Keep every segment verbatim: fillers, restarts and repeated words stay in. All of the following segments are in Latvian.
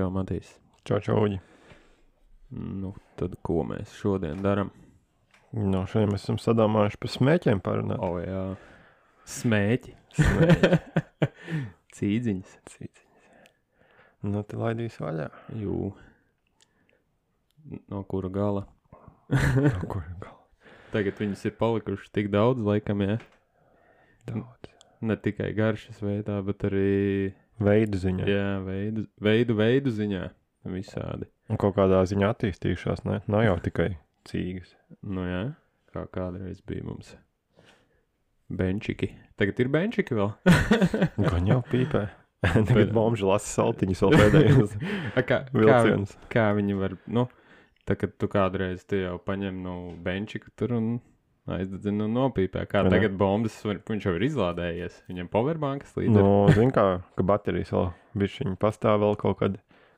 čau, Matīs. Čau, čau, Uģi. Nu, tad ko mēs šodien daram? No, šodien mēs esam sadomājuši par smēķiem parunāt. O, jā. Smēķi. Smēķi. Cīdziņas. Cīciņas. Nu, te laidīs vaļā. Jū. No kura gala? No kur gal? Tagad viņas ir palikušas tik daudz, laikam, jā. Daudz. Ne tikai garšas veidā, bet arī... Veidu ziņā. Jā, veidu, veidu, veidu ziņā. Visādi. Un kaut kādā ziņā attīstījušās, ne? Nav jau tikai cīgas. Nu jā, kā kādreiz bija mums benčiki. Tagad ir benčiki vēl. Gan jau pīpē. Tagad bomži lasa saltiņus vēl pēdējos A, kā, kā, vilcienus. kā viņi var, nu, tā kad tu kādreiz tu jau paņem no benčiku tur un aizdedzina un nopīpē. Kā Jā. tagad bombas, var- viņš jau ir izlādējies. Viņam powerbankas līdz Nu, zin kā, ka baterijas vēl bišķiņi pastāv vēl kaut kad,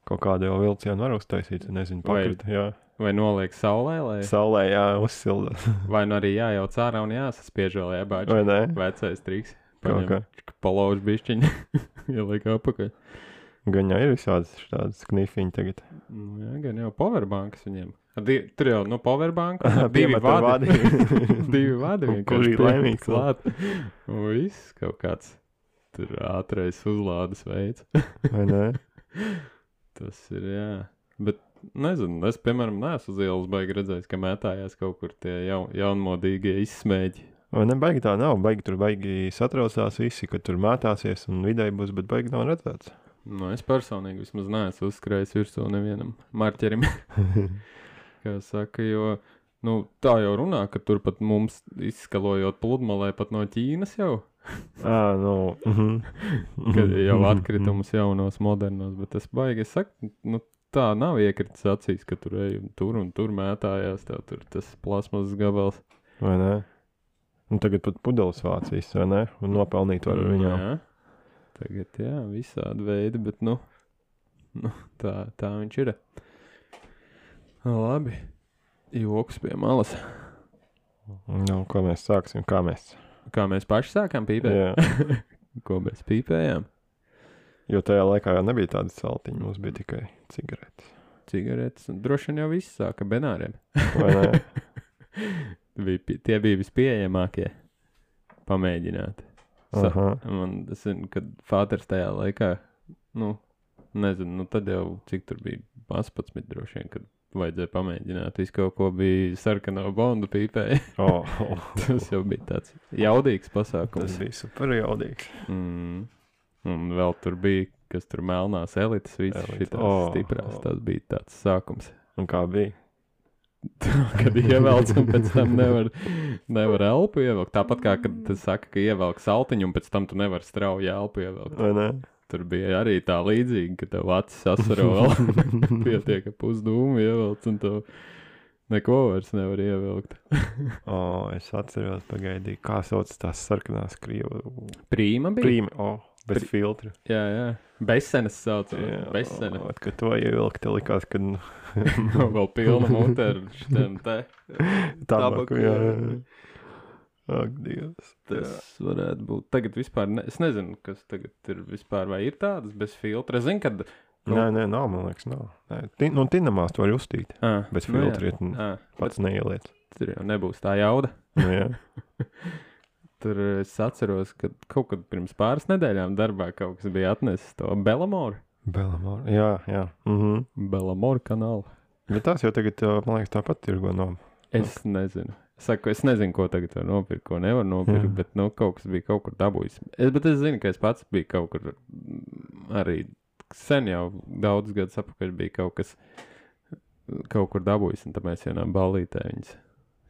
kaut kādu jau vilcienu var uztaisīt, nezinu, Vai- pakrita, jā. Vai noliek saulē, lai, Saulē, jā, uzsilda. vai nu arī jājauc ārā un jāsaspiež vēl jābāģi. Vai ne? Vecais triks. Kaut kā. Paņem, palauž bišķiņu, ieliek apakaļ. Gan jau ir visādas tādas knifiņi tagad. Nu, jā, gan jau powerbankas viņiem. Ar Di, tur jau, nu, powerbanka, ar divi Piemet ar vadi. divi vadi Un vienkārši kurš ir piemet laimīgs vēl? klāt. Un viss kaut kāds tur ātrais uzlādes veids. Vai ne? Tas ir, jā. Bet, nezinu, es, piemēram, neesmu uz ielas baigi redzējis, ka mētājās kaut kur tie jaun, jaunmodīgie izsmēķi. Vai ne, baigi tā nav, baigi tur baigi satraucās visi, ka tur mētāsies un vidēji būs, bet baigi nav redzēts. Nu, es personīgi vismaz neesmu uzskrējis virsū nevienam marķerim. Kā saka, jo, nu, tā jau runā, ka tur pat mums izskalojot pludmalē pat no Ķīnas jau, Ā, nu, mhm. kad jau atkritumus jaunos, modernos, bet es baigi, es saku, nu, tā nav iekritis acīs, ka tur ej un tur un tur mētājās, tev tur tas plasmas gabals. Vai ne? Un tagad pat pudeles vācīs, vai ne? Un nopelnīt var ar viņām. Jā, tagad, jā, visādi veidi, bet, nu, nu tā, tā viņš ir. Labi, joks pie malas. Nu, ko mēs sāksim, kā mēs. Kā mēs paši sākām pīpēt? Jā. Ko mēs pīpējām? Jo tajā laikā jau nebija tādas saltiņi, mums bija tikai cigaretes. Cigaretes, un droši vien jau viss sāka benāriem. Vai ne? Bija, pi- tie bija vispieejamākie pamēģināt. Sa Aha. man, es zinu, kad fāters tajā laikā, nu, nezinu, nu tad jau cik tur bija astoņpadsmit droši vien, kad vajadzēja pamēģināt. Visu kaut ko bija sarkano bondu pīpēja. Oh, oh. Tas jau bija tāds jaudīgs Tas pasākums. bija super jaudīgs. Mm. Un vēl tur bija, kas tur melnās elites, visas Elites. šitās O, stiprās. o. Tas bija tāds sākums. Un kā bija? Kad ievelc un pēc tam nevar, nevar elpu ievelkt. Tāpat kā, kad tas saka, ka ievelk saltiņu un pēc tam tu nevar strauji elpu ievelkt. Vai ne? Tur bija arī tā līdzīga, ka tev acis asaro vēl pietiek, ka pusdūmu ievelc un tev neko vairs nevar ievelkt. O, es atceros, pagaidīju, kā sauc tās sarkanās krievu. Prīma bija? Prīmi, o, bez Pri- filtra. Jā, jā. Besenes sauc. Jā, Besene. o, kad to ievilkt, te likās, kad nu, Vēl pilna mute ar šitiem te. tabaku, jā. Ak, Dievs. Tas varētu būt. Tagad vispār, ne, es nezinu, kas tagad ir vispār, vai ir tādas bez filtra. Es zinu, kad... Nē, nē, nav, man liekas, nav. Nē, tin, nu, tinamās to var uztīt. À, Bez nu jā. filtra iet un À, pats neieliec. tur jau nebūs tā jauda. Nu, jā. Tur es atceros, ka kaut kad pirms pāris nedēļām darbā kaut kas bija atnesis to Belamoru. Belamor. Jā, jā. Mhm. Belamoru kanālu. Bet tās jau tagad, uh, man liekas, tāpat tirgo no. Es nezinu. Es saku, es nezinu, ko tagad var nopirkt, ko nevar nopirkt, Jā. bet, nu, kaut kas bija kaut kur dabūjis. Es, bet es zinu, ka es pats biju kaut kur mm, arī sen jau daudz gadus apakaļ bija kaut kas kaut kur dabūjis, un tad mēs vienā ballītē viņas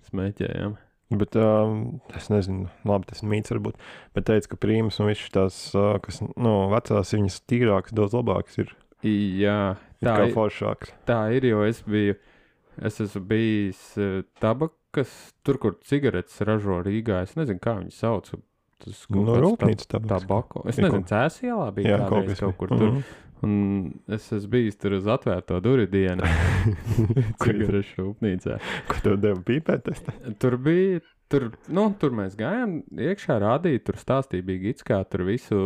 smēķējām. Bet um, es nezinu, labi, tas mīts varbūt, bet teica, ka prīmas un viss tās, uh, kas, nu, vecās viņas tīrākas, daudz labākas ir. Jā, Ir tā kā ir, foršāks. tā ir, jo es biju, es esmu bijis uh, tabakas, tur, kur cigaretes ražo Rīgā, es nezinu, kā viņi sauc. Tas kaut No kāds rūpnīcas ta- tabaks. Tabako. Es Ir nezinu, kaut- Cēsielā bija Jā, kaut kādreiz kas kaut bija. kur tur. Mhm. Un es esmu bijis tur uz atvērto duri dienu cigarešu rūpnīcā. Ko tev deva pīpēt? Es te- Tur bija, tur, nu, tur mēs gājām iekšā rādīt, tur stāstīja bija gids, kā tur visu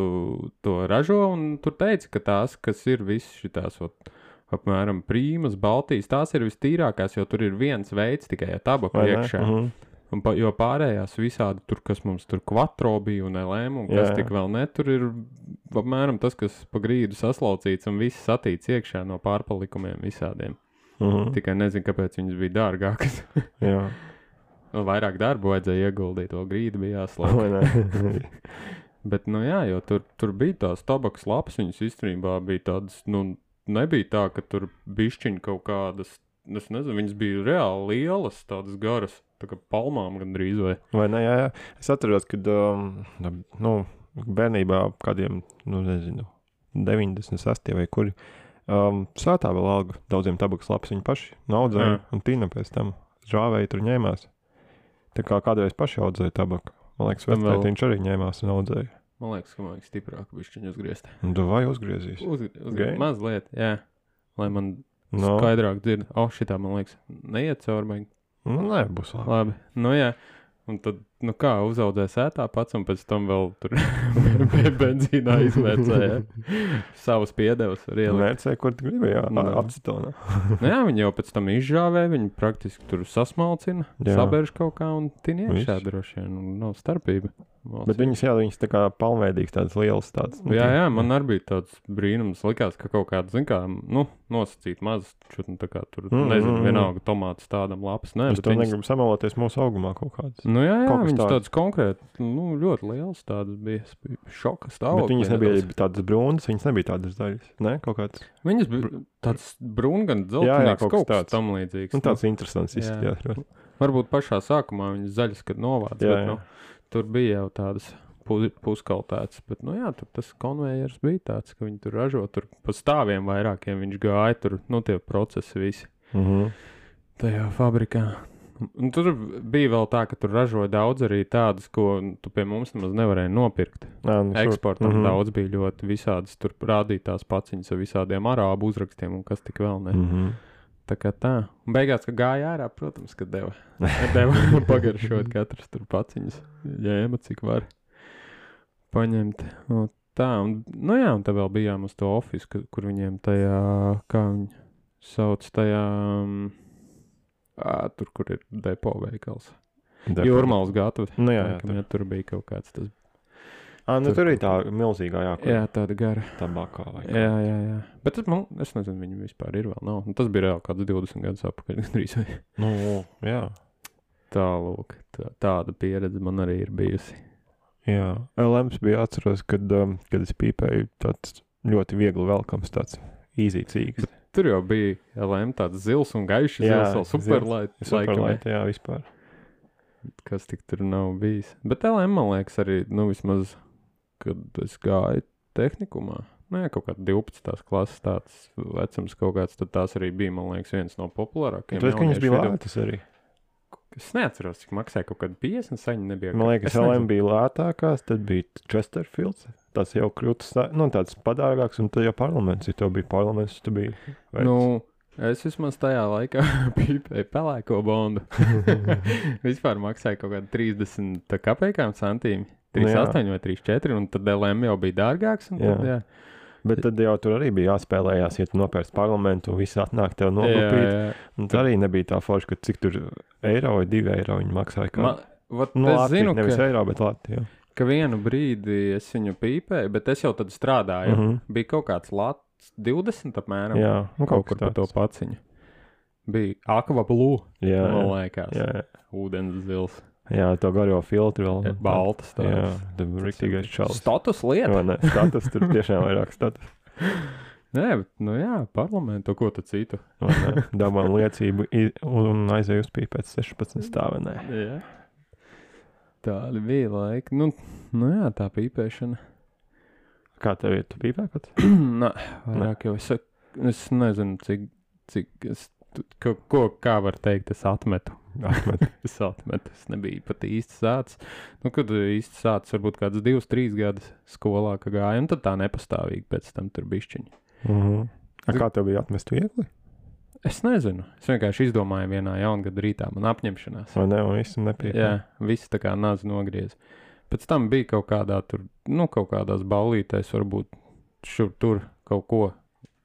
to ražo, un tur teica, ka tās, kas ir visas šitās, ot, apmēram Prīmas, Baltijas, tās ir vistīrākās, jo tur ir viens veids tikai ar tabaku Vai ne? iekšā. Mhm. Un pa, jo pārējās visādi tur, kas mums tur Quattro bija un L M un kas Jā, jā. tik vēl ne, tur ir apmēram tas, kas pa grīdu saslaucīts un viss satīts iekšā no pārpalikumiem visādiem. Mhm. Tikai nezinu, kāpēc viņas bija dārgākas. Jā. Vēl vairāk darbu vajadzēja ieguldīt, to grīdu bija jāslauka. Vai ne? Bet, nu jā, jo tur, tur bija tās tabakas lapas, viņas īstenībā bija tādas, nu, nebija tā, ka tur bišķiņ kaut kādas, es nezinu, viņas bija reāli lielas, tādas garas, tā kā palmām gandrīz vai. Vai ne, jā, jā. Es atceros, kad, um, nu, bērnībā kādiem, nu, nezinu, deviņdesmit sestie vai kuri, um, svētā vēl alga daudziem tabakas lapas viņi paši naudzēja Jā. un tīna pēc tam žāvēja tur ņēmās. Tā kā kādreiz paši audzēja tabaku. Man liekas, Tam vēl- vecētiņš arī ņēmās un audzēja. Man liekas, ka man liekas stiprāk bišķiņu uzgriezt. Un tu vai uzgriezīs? Uz, uz, Gaini? mazliet, jā. Lai man No. skaidrāk dzird. O, šitā, man liekas, neiet cauri, baigi. Nu, nē, būs labi. Labi, nu jā. Un tad, nu kā, uzaudzēja sētā pats un pēc tam vēl tur benzīnā izvērcēja savus piedevus var ielikt. Mērcēja, kur tu gribi, jā, Nu. acetonā. Nu jā, viņi jau pēc tam izžāvē, viņi praktiski tur sasmalcina, Jā. sabērž kaut kā un tin iekšā Viss. droši vien, un nav starpība. Bet viņas, jā, viņas tā kā palmveidīgas, tādas lielas tādas. nu, Jā, jā, man arī bija tāds brīnums, likās, ka kaut kāda, zin kā, nu, nosacīt maz, čut, nu, tā kā tur, Mm, nezinu, mm, mm. vienalga tomātus tādam lapas, nē, Es bet to viņas, negribu samaloties mūsu augumā kaut kādas. nu jā, jā, kaut kas viņas tāds. tādas konkrēti, nu, ļoti lielas tādas bija, es biju šoka Bet stāvokļi. viņas nebija tādas brūnas, viņas nebija tādas daļas. Nē, kaut kāds. Viņas bija tāds brūn, gan Jā, jā, dzeltenīgs, kaut kaut kas kas tāds. tam līdzīgs. Nu, tāds interesants jā. izskatījās. Varbūt pašā sākumā viņas zaļas, kad novāc, Jā, bet, jā. nu, tur bija jau tādas pu- puskaltētas, bet, nu jā, tur tas konvejers bija tāds, ka viņi tur ražo, tur pa stāviem vairākiem viņš gāja, tur, nu, tie procesi visi Mhm. tajā fabrikā. Un tur bija vēl tā, ka tur ražoja daudz arī tādas, ko tu pie mums nemaz nevarēji nopirkt. Jā, nu, šur- Eksportam Mhm. daudz bija ļoti visādas, tur rādītās paciņas ar visādiem arābu uzrakstiem un kas tik vēl ne. Mhm. Tā kā tā. Un beigās, kad gāja ārā, protams, ka deva. Deva pagaršot katrs tur paciņas. Ņēma, cik var paņemt. Nu, tā, un, nu jā, un te vēl bijām uz to ofisu, ka- kur viņiem tajā, kā viņi sauc, tajā, um, ā, tur, kur ir depo veikals. Depo. Jūrmāls gatavs. Nu, jā, jā, tur. tur bija kaut kāds tas. Ā, nu, tur- tur ir tā milzīgā, jā, kur Jā, tāda gara. tabakā vai kā. Jā, jā, jā. Bet tas man, es nezinu, viņi vispār ir vēl nav. Un tas bija reāli kāds divdesmit gadus atpakaļ, gandrīz vai. Nu, jā. Tālūk, tā, tāda pieredze man arī ir bijusi. Jā. L M S bija atceros, kad, um, kad es pīpēju tāds ļoti viegli velkams, tāds easy cīgs. Tur jau bija L M tāds zils un gaišs Jā, zils, vēl superlight, Superlight, jā, vispār. kas tik tur nav bijis. Bet L M, man liekas, arī, nu, vismaz, kad es gāju tehnikumā, nē, kaut kāda divpadsmitās klases tāds vecums kaut kāds, tad tās arī bija, man liekas, viens no populārākajiem. Tāpēc, ka viņas bija jauniešu vidū. lētas arī. Es neatceros, cik maksāja kaut kāda piecdesmit saņa nebija. Man liekas, Es L nezinu. M bija lētākās, tad bija Chesterfields. Tas jau kļūst, nu, tāds padārgāks, un tad jau parlaments, ja tev bija parlaments, tu biji veids. Nu, es vismaz tajā laikā pīpēju pelēko bondu. Vispār maksāja kaut kāda trīsdesmit kapekām centīmi. trīs astoņi vai trīs četri, un tad L M jau bija dārgāks. Un tad, jā. Bet tad jau tur arī bija jāspēlējās, ja tu nopērci parlamentu, un viss atnāk tev Jā, nokopīt. jā. Un tā arī nebija tā forša, ka cik tur eiro vai divi eiro viņi maksāja. Kā. Man, vat, Nu, es Latvija, zinu, nevis ka, eiro, bet Latvija. ka vienu brīdi es viņu pīpēju, bet es jau tad strādāju. Mhm. Bija kaut kāds lats divdesmit apmēram. Jā, nu, kaut kaut kur kas pa to tāds. paciņu. Bija aqua blue, Jā, man jā, liekas. jā, jā. Ūdens zils. jā, to garo filtru vēl. Baltas Jā, tāds. tad riktīgais čalis. Status lieta. Vai ne? Status tur tiešām vairāk status. Nē, bet, nu jā, parlamentu, ko tad citu. Vai ne? Dabām liecību i- un aizēju uz pīpēt sešpadsmit stāvenē. Jā. Tādi bija laiki. Nu, nu jā, tā pīpēšana. Kā tev ir? Tu pīpē pats? Nē, vairāk jau es, es nezinu, cik, cik es, tu- ko, ko, kā var teikt, es atmetu. Atmet. Es atmetu, es nebiju pat īsti sācis. Nu, kad īsti sācis, varbūt kāds divus, trīs gadus skolā, ka gāja, un tad tā nepastāvīgi pēc tam tur bišķiņi. Mhm. A kā tev bija atmest viegli? Es nezinu, es vienkārši izdomāju vienā jaungada rītā, man apņemšanās. Vai ne? Un visu nepīpē. Jā, viss tā kā naz nogriez. Pēc tam bija kaut kādā tur, nu, kaut kādās ballītēs, varbūt šur tur kaut ko,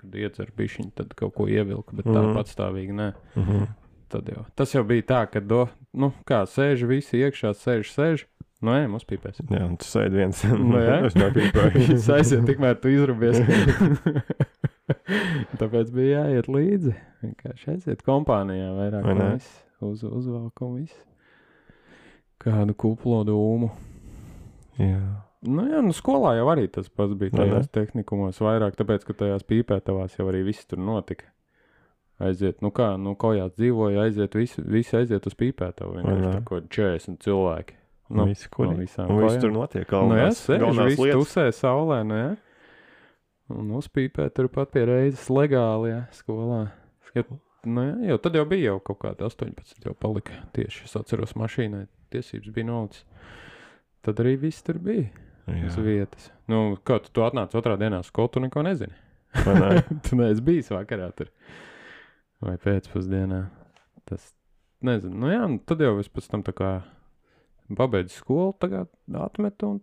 kad iedzer bišķiņu, tad kaut ko ievilka, bet tā Mhm. patstāvīgi nē. Mhm. Tad jau. Tas jau bija tā, ka, do, nu, kā sēž visi iekšā, sēž, sēž. Nu, ej, mums pīpēs. Jā, un tu sēdi viens. Nu, jā. Es nepīpēju. Viss aiziet, tikmēr tu izrubies. Tāpēc bija jāiet līdzi. Vienkārši aiziet kompānijā vairāk Vai un ne? viss. Uz, uzvalk un viss. Kādu kuplo dūmu. Jā. Nu jā, nu skolā jau arī tas pats bija Vai ne? tajās tehnikumos vairāk, tāpēc, ka tajās pīpētavās jau arī viss tur notika. Aiziet, nu kā, nu kojās dzīvoja, aiziet, visi, visi aiziet uz pīpētavu. Vai Vienkārši ne? tā ko četrdesmit cilvēki. Nu, Nu, visi, kur no ir. visām Un viss kojām. tur notiek. Nu jā, Galvenās, sēž, galvenās viss lietas. tusē saulē, nu jā. Un uzpīpē turpat pie reizes legāli, jā, skolā. Jo, nu jā, jau tad jau bija jau kaut kāda astoņpadsmit jau palika. Tieši es atceros mašīnai, tiesības bija nolicis. Tad arī viss tur bija uz Jā. vietas. Nu, kā tu, tu atnāc otrā dienā uz skolu, tu neko nezini. Vai ne? Tu neesi bijis vakarā tur. Vai pēcpusdienā. Tas, nezinu, nu jā, un tad jau es pēc tam tā kā pabeidzu skolu, tagad atmetu un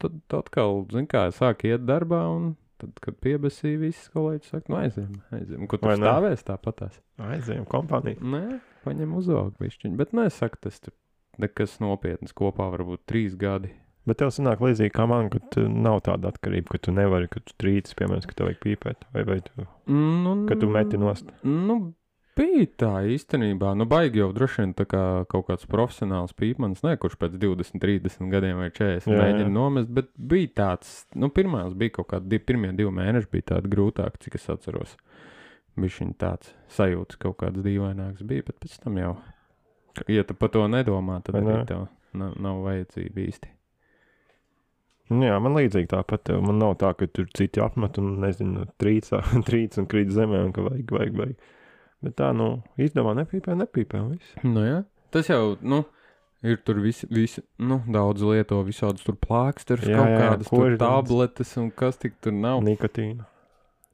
tad atkal, zin kā, sāk iet darbā un tad, kad piebesīja visi kolēģi, saka, nu aiziem, aiziem. Ko tu Vai ne? stāvēs tāpatās? Aizējām kompāniju. Nē, paņem uzvalk višķiņu, bet nē, saka, tas tur nekas nopietnas kopā varbūt trīs gadi. Bet tev sanāk līdzīgi kā man, ka tu nav tāda atkarība, ka tu nevari, ka tu trīcis, piemēram, ka tev vajag pīpēt, vai, vai tu, Nu, ka tu meti nost. Nu, bija tā īstenībā. Nu, baigi jau droši vien tā kā kaut kāds profesionāls pīpmanis, ne, kurš pēc divdesmit, trīsdesmit gadiem vai četrdesmit Jā, mēģina jā. nomest, bet bija tāds, nu, pirmās bija kaut kādi, div, pirmie divi mēneši bija tādi grūtāki, cik es atceros. Bišķiņ tāds sajūtas kaut kāds dīvaināks bija, bet pēc tam jau, ja tu par to nedomā, tad Vai arī ne? tev nav, nav vajadzība īsti. Nu, jā, man līdzīgi tāpat, tev. Man nav tā, ka tur citi apmet un, nezinu, trīcā, trīc un krīt zemē un ka vajag, vajag, vajag. Bet tā, nu, izdomā nepīpē, nepīpē un viss. Nu, jā, tas jau, nu, ir tur visi, visi nu, daudz lieto visādus tur plāksterus, Jā, kaut jā, kādas tur koždienas. tabletes un kas tik tur nav. Nikotīna.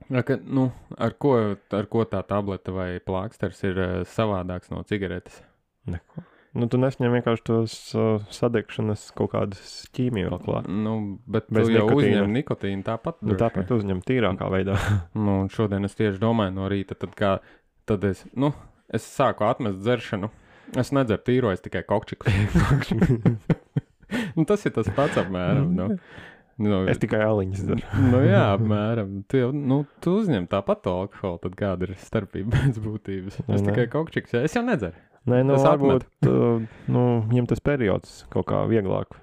Ja, ka, nu, ar, ko, ar ko tā tableta vai plāksters ir uh, savādāks no cigaretes? Neko. Nu, tu nesņem vienkārši tos uh, sadegšanas kaut kādas ķīmiju vēl klāt. Nu, bet Bez tu jau nikotīna. uzņem nikotīnu tāpat. Nu, droši tāpēc uzņem tīrākā veidā. vien. Nu, un šodien es tieši domāju no rīta, tad kā, tad es, nu, es sāku atmest dzeršanu. Es nedzeru tīro, es tikai kokčiku. Nu, tas ir tas pats apmēram, nu. Nu, Es tikai aliņas daru. nu jā, apmēram. Tu jau, nu, tu uzņem tāpat to alkoholu, tad kāda ir starpība pēc būtības? Vai Es ne? tikai kokčiks, es jau nedzeru. Nē, nu, Es varbūt, uh, nu, viņam tas periods kaut kā vieglāk.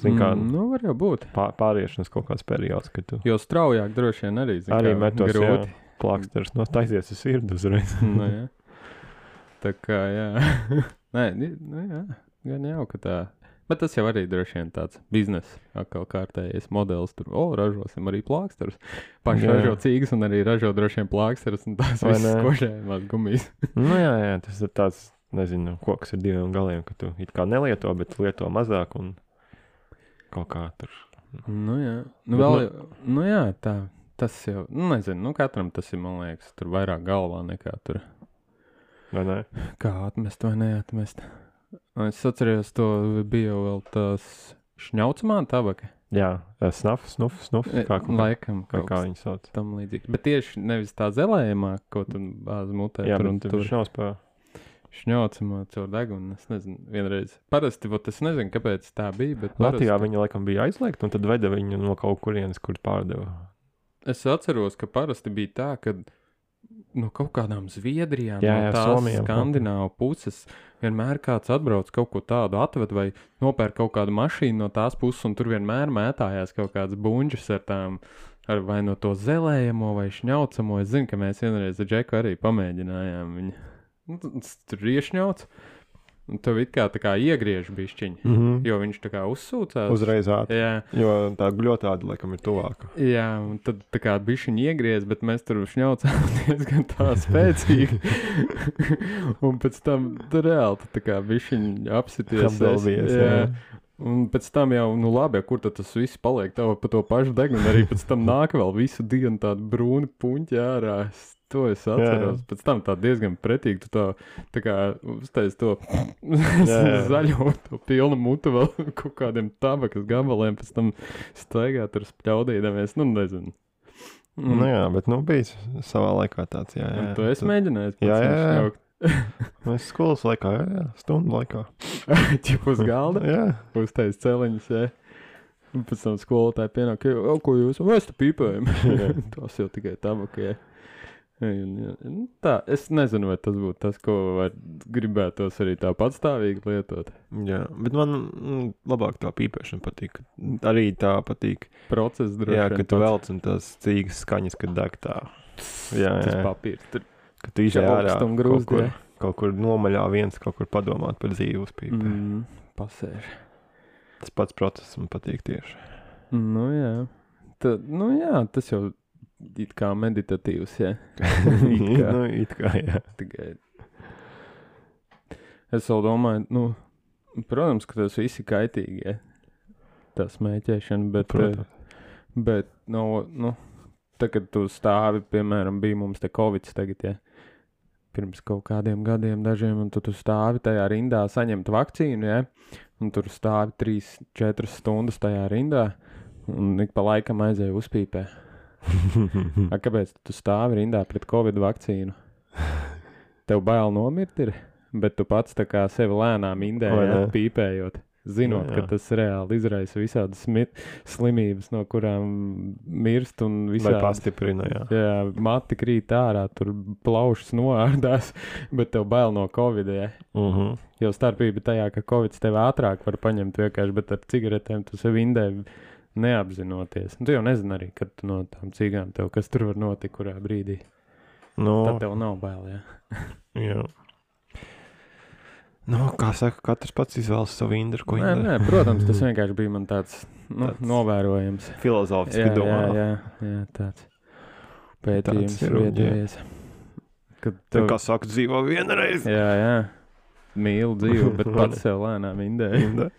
Zin kā, Mm, nu, var jau būt. pā, pāriešanas kaut kāds periods, kad tu Jo straujāk droši vien arī, zin, arī kā metos, jā, grūti. plāksters no taizies uz sirdu uzreiz. Nu, jā. Tā kā, jā. Nē, ni- nu, jā. Gan jau, ka tā. Bet tas jau arī droši vien tāds biznesa atkal kārtējies modelis. Tur, o, ražosim arī plāksterus. Paši Jā. ražo cīgas un arī ražo droši vien plāksterus un tās Vai visas ne? kožējumās gumijas. Nu, jā, jā, tas ir tāds, nezinu, koks ar diviem galiem, ka tu it kā nelieto, bet lieto mazāk un kaut kā tur. Nu, jā. Nu, Bet vēl, nu- jau- nu, jā, tā. Tas jau, nu, nezinu, nu, katram tas ir, man liekas, tur vairāk galvā nekā tur. Vai ne? Kā atmest vai neatmest. Es atceros, to bija jau vēl tās šņaucamā tabaka. Jā, snuf, snuf, snuf, kā, kā, Laikam, kā, kaut kā kas viņi sauc. tam līdzīgi. Bet tieši nevis tā zelējumā, ko tu bāzi mutē, Jā, tur un bet tur viņš nav spēj. šņaucamā caur degunu. Es nezinu, vienreiz. Parasti, vot es nezinu, kāpēc tā bija, bet Latvijā parasti, viņa laikam bija aizliegta, un tad veda viņu no kaut kurienes, kur pārdeva. es atceros, ka parasti bija tā, ka no kaut kādām Zviedrijām, Jā, no jā, tās Somijām kaut kur. Skandināvu puses, vienmēr kāds atbrauc kaut ko tādu atved vai nopērk kaut kādu mašīnu no tās puses, un tur vienmēr mētājās kaut kāds buņģis ar tām, ar vai no to zelējamo vai šņaucamo. Es zinu, ka mēs vienreiz ar Džeku arī pamēģinājām viņu. Nu, tas tur iešņauts, un tev it kā tā kā iegriež bišķiņi, Mm -hmm. jo viņš tā kā uzsūcās. Uzreiz ātri. Jā. Jo tā gļotāda, laikam, ir tuvāka. Jā, un tad tā kā bišķiņi iegriez, bet mēs tur šņaucām diezgan tā spēcīgi. Un pēc tam tur reāli tu tā kā bišķiņi apsities. Apdalbies, jā. jā. Un pēc tam jau, nu labi, kur tad tas viss paliek tev pa to pašu degunu, arī pēc tam nāk vēl visu dienu tādu brūni puņķi ārā. Es, to es atceros. Jā. Pēc tam tā diezgan pretīgi, tu tā, tā kā uztais to jā. zaļo, to pilnu mutu vēl kaut kādiem tabakas gabaliem, pēc tam staigā tur spļaudīdamies, nu nezinu. Mm. Nu jā, bet nu bija savā laikā tāds, jā, jā. Un tu esi mēģinājis Jā, pats jā, jā. šņaukt? Mēs skolas laikā, jā, jā, stundu laikā. Ķip uz galda? Jā. Uztais celiņus, jā. Un pēc tam skolotāji pienāk, o, ko jūs, mēs te pīpējam. Tas jau tikai tabaka, jā. Un, jā. Tā, es nezinu, vai tas būtu tas, ko var gribētos arī tā patstāvīgi lietot. Jā, bet man mm, labāk tā pīpēšana patīk. Arī tā patīk. Process droši. Jā, kad tu velc un tās cīgas skaņas, kad deg tā. Jā, Tas jā. papīrs. Tur Kad tu izēj ārā augstu un kaut grūsti, kur, jā. kaut kur nomaļā viens, kaut kur padomāt par dzīvi uz pīpē. Mm, pasēž. Tas pats process man patīk tieši. Nu jā. Ta, nu jā, tas jau it kā meditatīvs, jā. It kā. Nu, it kā, jā. Tikai. Es vēl domāju, nu, protams, ka tas viss ir kaitīgi, ja? Tā smēķēšana, bet, Protams. eh, bet, no, nu, tā, kad tu stāvi, piemēram, bija mums te Covids tagad, ja? Pirms kaut kādiem gadiem dažiem, un tu, tu stāvi tajā rindā saņemt vakcīnu, ja? Un tur stāvi trīs, četras stundas tajā rindā, un ik pa laikam aizēju uzpīpē. A, kāpēc tu stāvi rindā pret Covid vakcīnu? Tev bail nomirt ir, bet tu pats tā kā sevi lēnām indē, Vai ja, ne? pīpējot. Zinot, Jā, jā. ka tas reāli izraisa visādas smi- slimības, no kurām mirst un Vai visādas. pastiprina, jā. Jā, mati krīt ārā, tur plaušas noārdās, bet tev bail no Covid, ja. Mhm. Jo starpība tajā, ka Covid tev ātrāk var paņemt vienkārši, bet ar cigaretēm tu sev indē neapzinoties. Un tu jau nezini arī, kad tu no tām cigām tev, kas tur var notikt, kurā brīdī. Nu, Tad tev nav bail, jā. jā. Nu, kā saka, katrs pats izvēlas savu indru, ko Nē, indra. nē, protams, tas vienkārši bija man tāds, nu, Tāds novērojams. Filozofiski Jā, jā, domā. jā, jā, tāds pētījums ir, un, jā. viedējies. Kad Tā tev, kā saka, dzīvo vienreiz. jā, jā, mīlu dzīvi, bet pats sev lēnām indē. Indra.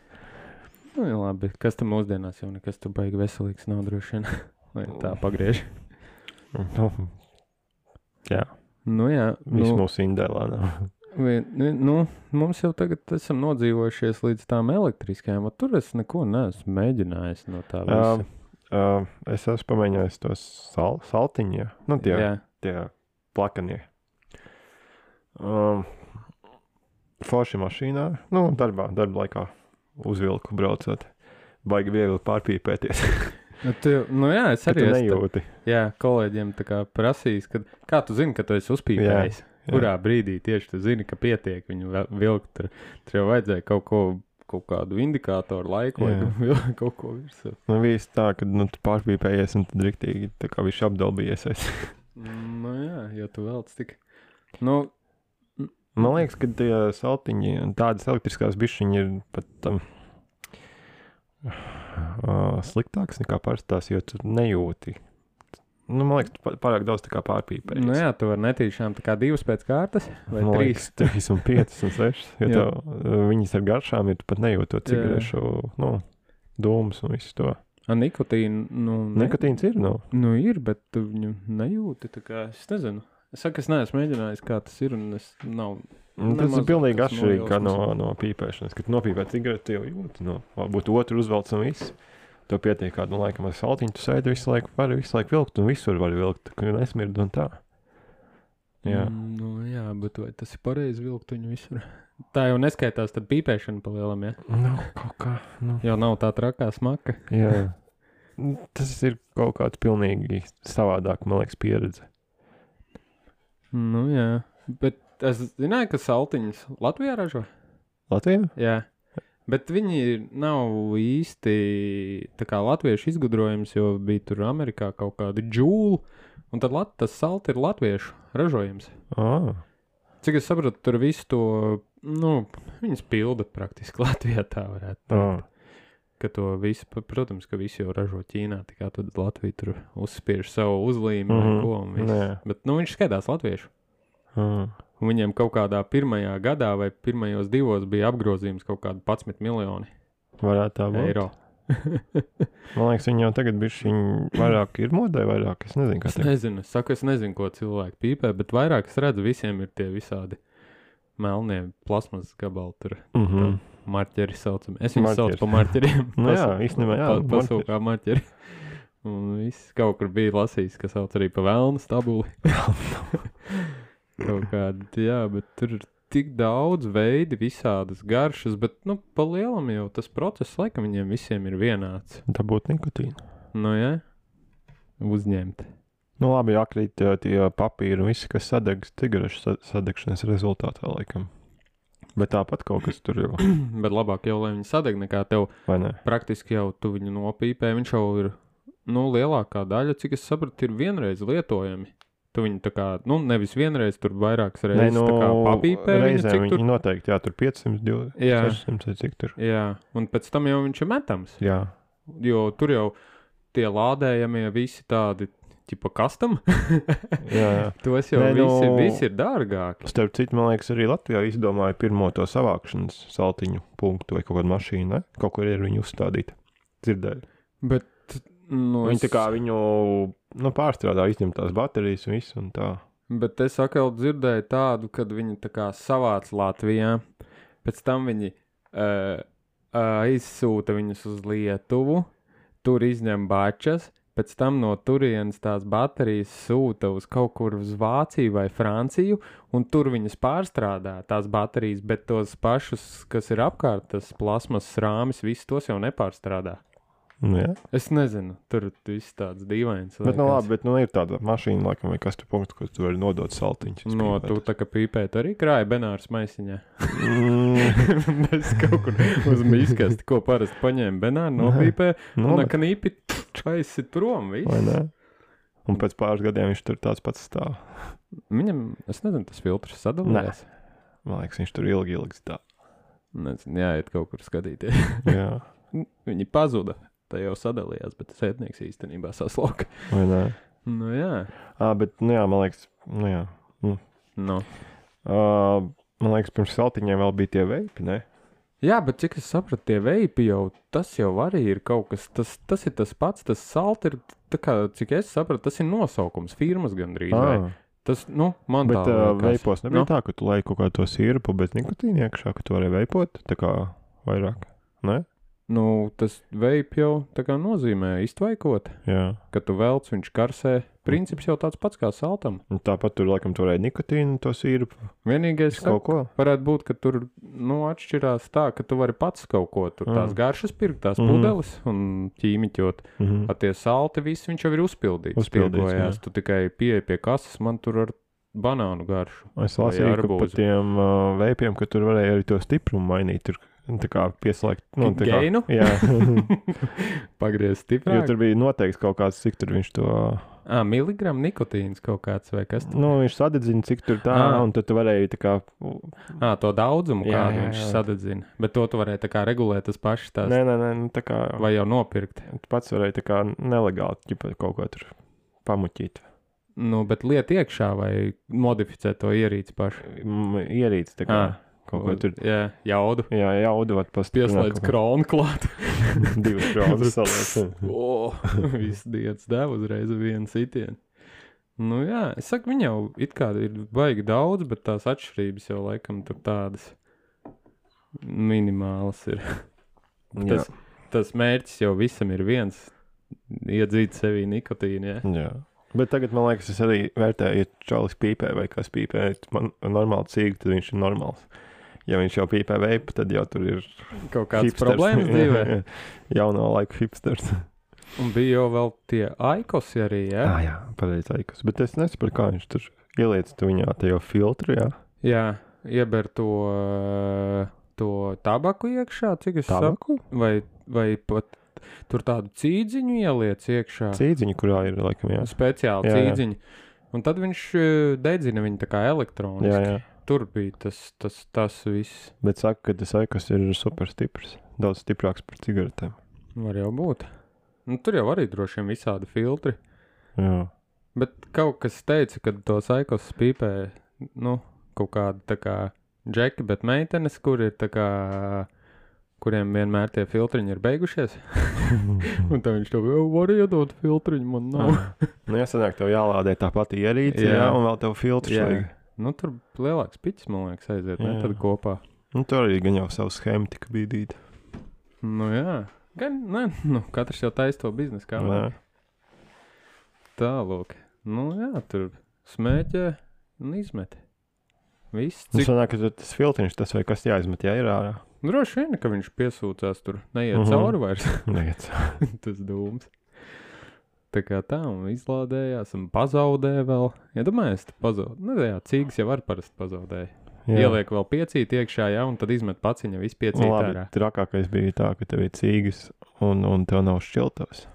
Nu, jā, labi, kas tam mūsdienās jau nekas tu baigi veselīgs nav droši vien. Lai tā pagriež. Nu, jā, Nu jā, viss nu, mūsu indē lēnām. vien, nu, mums jau tagad esam nodzīvojušies līdz tām elektriskajām, un tur es neko neesmu mēģinājis no tā visa. Um, uh, es esmu pamēģinājis tos sal saltiņu, jā. Nu, tie, Jā, tie plakanie. Um, forši mašīnā, nu, darbā, darba laikā uzvilku braucot. Baigi viegli pārpīpēties. nu, tu, nu jā, es Ka tu arī esmu, nejūti. jā, kolēģiem tā kā prasījis, kad, kā tu zini, ka tu esi uzpīpējis? Jā. Kurā brīdī tieši tu zini, ka pietiek viņu ve- vilkt? Tur, tur jau vajadzēja kaut ko, kaut kādu indikātoru laiku vai Jā. vilkt kaut ko virsū. Nu, viss tā, ka nu, tu pārpīpējies un tad riktīgi tā kā viņš apdalbījies. Nu jā, jo tu velc tik. Nu, Man liekas, ka tie saltiņi un tādas elektriskās bišķiņi ir pat um, uh, sliktāks nekā parastās, jo tu nejūti. Nu, man liekas, tu pa- pārāk daudz tā kā pārpīpējies. nu jā, tu vari netīšām tā kā divas pēc kārtas vai Man trīs. liekas, trīs un piecas un sešas. Jo Jā. tev, uh, viņas ar garšām, ja tu pat nejūti to cigarešu, nu, dūmus un visu to. A, nikotīna, nu, ne, Nikotīns ir, nu. nu ir, bet tu viņu nejūti, tā kā, es nezinu. Es saku, es neesmu mēģinājis, kā tas ir, un es nav, Un tas Nemaz ir pilnīgi tas atšķirīgi kā no, nojausmas. no pīpēšanas. Kad nopīpē cigareti, jau jūti, no, varbūt otru uzvelc un viss. To pietiek kādu laikam ar saltiņu, tu sēdi visu laiku, vari visu laiku vilkt, un visur var vilkt, ka nesmird un tā. Jā. Mm, nu jā, bet vai tas ir pareizi vilkt viņu visur? Tā jau neskaitās tad pīpēšana pa lielam, ja? Nu, kaut kā, nu. Jau nav tā trakā smaka. Jā. Tas ir kaut kāds pilnīgi savādāk, man liekas, pieredze. Nu jā, bet es zināju, ka saltiņas Latvijā ražo. Latvijā? Jā, bet viņi nav īsti tā kā latviešu izgudrojums, jo bija tur Amerikā kaut kādi džūli, un tad lat, tas salti ir latviešu ražojums. Ā, Cik es saprotu, tur visu to, nu, viņas pilda praktiski Latvijā, tā varētu ā. teikt. Ka to visu, pa- protams, ka visi jau ražo Ķīnā, tikai tad Latvija tur uzspiež savu uzlīmi vai Mhm, ko un viss. nē. Bet, nu, viņš skaitās latviešu. Ā. Un viņiem kaut kādā pirmajā gadā vai pirmajos divos bija apgrozījums kaut kādi padsmit miljoni Varētu tā būt. eiro. Man liekas, viņi jau tagad bišķi vairāk ir modē, vairāk, es nezinu, kā Es teikt. nezinu, es saku, es nezinu, ko cilvēki pīpē, bet vairāk es redzu, visiem ir tie visādi melnie plasmas gabali tur. Mhm. Marķeri saucam. Es viņus Marķeri. saucu par marķeriem. Nu jā, īstenībā jā, Pasūkā marķeri. Un viss kaut kur bija lasījis, kas sauc arī pa velnu stabuli. Kaut kādi, jā, bet tur ir tik daudz veidi, visādas garšas, bet, nu, pa lielam jau tas process, laikam viņiem visiem ir vienāds. Tā būtu nikotīna. Nu, jā, uzņemt. Nu, labi, jākrīt tie, tie papīri un visi, kas sadegs cigarešu sadegšanas rezultātā, laikam. Bet tāpat kaut kas tur jau. Bet labāk jau, lai viņi sadeg, nekā tev Vai ne? praktiski jau tu viņu nopīpē, viņš jau ir, nu, lielākā daļa, cik es sapratu, ir vienreiz lietojami. Tu viņu tā kā, nu, nevis vienreiz, tur vairākas reizes Nē, nu, tā kā papīpē viņu, reizēm cik viņi tur. noteikti, jā, tur piecsimt, Jā. sešsimt, vai cik tur. Jā, un pēc tam jau viņš ir metams, Jā. jo tur jau tie lādējamie visi tādi, tipa custom, Jā, jā. tos jau Nē, nu- visi, visi ir dārgāki. Starp citu, man liekas, arī Latvijā izdomāja pirmo to savākšanas saltiņu punktu vai kaut kādu mašīnu, ne? Kaut kur ir viņu uzstādīta. Dzirdēju. Bet, nu, Viņi tā es- kā viņu, nu, pārstrādā, izņem tās baterijas un visu un tā. Bet es atkal dzirdēju tādu, kad viņi tā kā savāc Latvijā, pēc tam viņi uh, aizsūta viņus uz Lietuvu, tur izņem bačas, pēc tam no turienes tās baterijas sūta uz kaut kur uz Vāciju vai Franciju, un tur viņas pārstrādā tās baterijas, bet tos pašus, kas ir apkārt, tas plasmas rāmis, visus tos jau nepārstrādā. Nu, jā. Es nezinu, tur viss tāds dīvains. Bet, nu, liekas. labi, bet, nu, ir tāda mašīna, laikam, vai kas tu punktu, kur tu vari nodot saltiņus. No, tu tā kā pīpēt arī krāja Benārs maisiņā. Mm, Es kaut kur uz mīskasti, ko parasti paņēma Benāru, nopīpē, nu, un bet- kā nīpi aizsit prom, vai viss. ne? Un pēc pāris gadiem viņš tur tāds pats stāv. Viņam, es nezinu, tas filtrs sadalījās. Man liekas, viņš tur ilgi, ilgi stāv. Nezinu, jāiet kaut kur skatīties. Jā, Viņi pazuda, tā jau sadalījās, bet sētnieks īstenībā saslauka. vai ne? Nu jā, Ā, bet, nu jā, man liekas, nu jā. nu. Uh, man liekas, pirms saltiņiem vēl bija tie veipi, ne? Jā, bet cik es sapratu, tie veipi jau, tas jau arī ir kaut kas, tas, tas ir tas pats, tas salt ir, tā kā, cik es sapratu, tas ir nosaukums, firmas gandrīz, vai? Ah, Tas, nu, man bet tā uh, liekas. veipos nebija Nu. tā, ka tu lai kaut kā to sirpu bez nikotīna iekšā, ka tu vari veipot, tā kā vairāk, ne? Nu, tas veip jau tā kā nozīmē iztvaikot, Jā. ka tu velc, viņš karsē. Princips jau tāds pats kā saltam. Un tāpat tur, laikam, tu varēja nikotīnu to sirpu, Vienīgais, kaut ko. varētu būt, ka tur, nu, atšķirās tā, ka tu vari pats kaut ko tur tās Mm. garšas pirkt, tās Mhm. pudeles un ķīmiķot. Mhm. A tie salti visi viņš jau ir uzpildīts. Uzpildīts, tirgojās. jā. Tu tikai pieeji pie kases, man tur ar banānu garšu. Es Vai lasīju, ka arbūzu. par tiem uh, veipiem, ka tur varēja arī to stiprumu mainīt, tur tā kā pieslēgt. Nu, tā kā, Geinu? jā, Pagriezt jo stiprāk. tur bija noteikts kaut kāds, cik tur viņš to, Ā, miligramu nikotīns kaut kāds vai kas. tur? nu, viņš sadedzina, cik tur tā, Ā. un tad tu varēji tā kā, Ā, to daudzumu, Jā, kādu jā, viņš jā. sadedzina. Bet to tu varēji tā kā regulēt tas pašs tās. nē, nē, nē, nu, tā kā, Vai jau nopirkt. tu pats varēji tā kā nelegāli, ķipa, kaut ko tur pamuķīt. Nu, bet liet iekšā vai modificēt to ierīci pašu. M- Ierīts, tā kā, Ā, kaut ko tur, Jā, jaudu. jā, jaudot Pieslēdz kronu klāt. divas kronas saliec. O, viss dienas deva uzreiz vienu sitienu. Nu jā, es saku, viņi jau it kā ir baigi daudz, bet tās atšķirības jau laikam tur tādas minimālas ir. Jā, Tas, tas mērķis jau visam ir viens - iedzīt sevī nikotīnu, jā. jā. Bet tagad, man liekas, es arī vērtēju, ja čalis pīpē vai kas pīpē, man normāli cīg, tad viņš ir normāls. Ja viņš jau pīpē veipu, tad jau tur ir Kaut kādas hipsters. problēmas dzīvē. Jauno laiku hipsters. Un bija jau vēl tie aikosi arī, jā. Ah, jā, pareizi aikas. Bet es nesaprotu, kā viņš tur ieliec tu viņā tajā filtru, jā. Jā, ieber to, to tabaku iekšā, cik es saprotu. Tabaku? Vai, vai pat tur tādu cīdziņu ieliec iekšā. Cīdziņu, kurā ir, laikam, jā. Speciāli Jā, jā. cīdziņu. Un tad viņš eh, dedzina viņu tā kā elektroniski. Jā, jā. Tur bija tas, tas, tas viss. Bet saka, ka tas aikas ir super stiprs. Daudz stiprāks par cigaretēm. Var jau būt. Nu, tur jau arī droši vien visādi filtri. Jā. Bet kaut kas teica, ka tos aikos pīpē, nu, kaut kādi tā kā džeki, bet meitenes, kur ir tā kā, kuriem vienmēr tie filtriņi ir beigušies. Un tad viņš to jau var iedot filtriņu, man nav. Nu, jāsanāk, tev jālādē tā pati ierīce, jā. Jā. jā, un vēl tev filtrs Jā. vajag. Nu, tur lielāks piķis, man liekas, aiziet, ne, Jā. tad kopā. Nu, tur arī gan jau savu schēmu tika bīdīt. Nu, jā. Gan, ne, nu, katrs jau taisa to biznesu kā. Nē. Tālūk. Nu jā, tur smēķē un izmet. Viss, Nu, cik... sanāk, ka tas filtriņš, tas vai kas jāizmet, jā, ir ārā. Droši vien, ka viņš piesūcās tur, neiet Mhm. cauri vairs. Neiet. Tas dūms. Tā kā tā, un izlādējās, un pazaudēja vēl. Ja domājies, tu pazaudēji. Nu, jā, cīgas jau var parasti pazaudēja. Jā. Ieliek vēl piecīt iekšā, jā, un tad izmet paciņa visu piecīt Nu, labi, ārā. trakākais bija tā, ka tev ir cīgas un, un tev nav šķiltavas.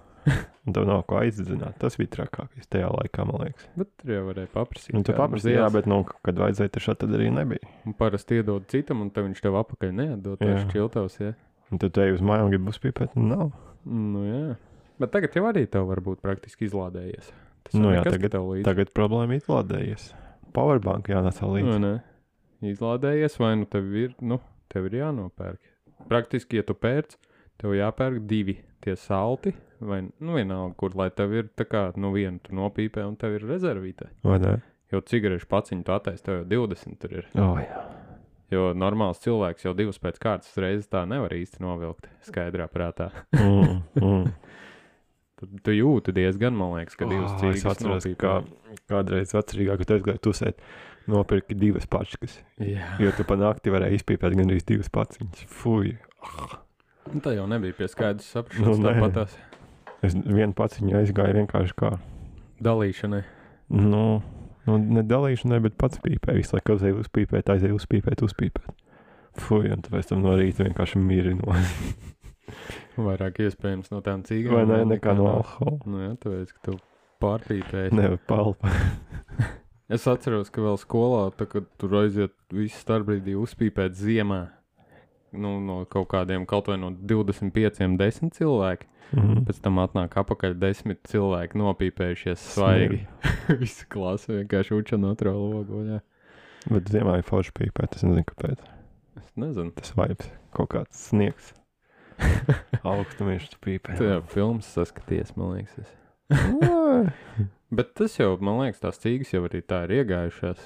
Un tev nav ko aizdzināt. Tas bija trakākais tajā laikā, man liekas. Bet tur jau varēja paprasīt. Un tu kādu paprasīji, jā, zils. bet, nu, kad vajadzēja, tad šādi tad arī nebija. Un parasti iedod citam, un tad viņš tev apakaļ neatdod tās Jā. šķiltavas, jā. Un tad te uz mājām grib uzpīpēt, un nav. Nu jā. Bet tagad jau arī tev var būt praktiski izlādējies. Tas Nu jau jā, nekas, ka tagad- tev līdzi. Tagad problēma izlādējies. Powerbank jānāc Nu, līdzi. nē. Izlādējies, vai nu tev ir, nu, tev ir jānopērk. Praktiski, ja tu pērc, tev jāpērk divi tie salti, vai, nu, vienalga, kur, lai tev ir tā kā, nu, vienu tu nopīpē, un tev ir rezervītē. Vai ne? Jo cigarešu paciņu tu attaisi, tev jau divdesmit tur ir. O, jā. Jo normāls cilvēks jau divas pēc kārtas reizes tā nevar īsti novilkt skaidrā prātā. Mm, mm. Tad tu jūti diezgan, man liekas, ka divas Oh, es cīgas atceros, nopīpē. kā kādreiz vecrīgāk, kad es gāju tusēt, nopirki divas pačkas. Jā. Jo tu pa nakti varēji izpīpēt gandrīz divas paciņas. Fuj. Nu, tā jau nebija pie skaidrs saprašanas, Nu, nu, nē. tāpatās Es vienu paciņu aizgāju vienkārši kā, dalīšanai. nu, nu ne dalīšanai, bet pats pīpē. Visu laiku aizēju uzpīpēt, aizēju uzpīpēt, uzpīpēt. Fuj, un tāpēc tam no rīta vienkārši miri no. Vairāk iespējams no tām cīgām. Vai ne, vēl nekā no alkohola. Nu jā, tāpēc, ka tu pārpīpēji. Nevar palpa. Es atceros, ka vēl skolā, tā, kad tur aiziet visu starpbrīdī uzpīpēt ziemā, nu, no kaut kādiem, kaut vai no divdesmit pieciem, desmit cilvēki. Mhm. Pēc tam atnāk apakaļ desmit cilvēki nopīpējušies svaigi. Visu klasu vienkārši uča no otro logu. Jā. Bet ziemā ir forši pīpēt, es nezinu, kāpēc. Es nezinu. Tas vibes, kaut kāds sniegs. Augstumiešs pīpē. Tu jau filmas saskaties, man liekas. Es. Ai. Bet tas jau, man liekas, tās cīgas jau arī tā ir iegājušās.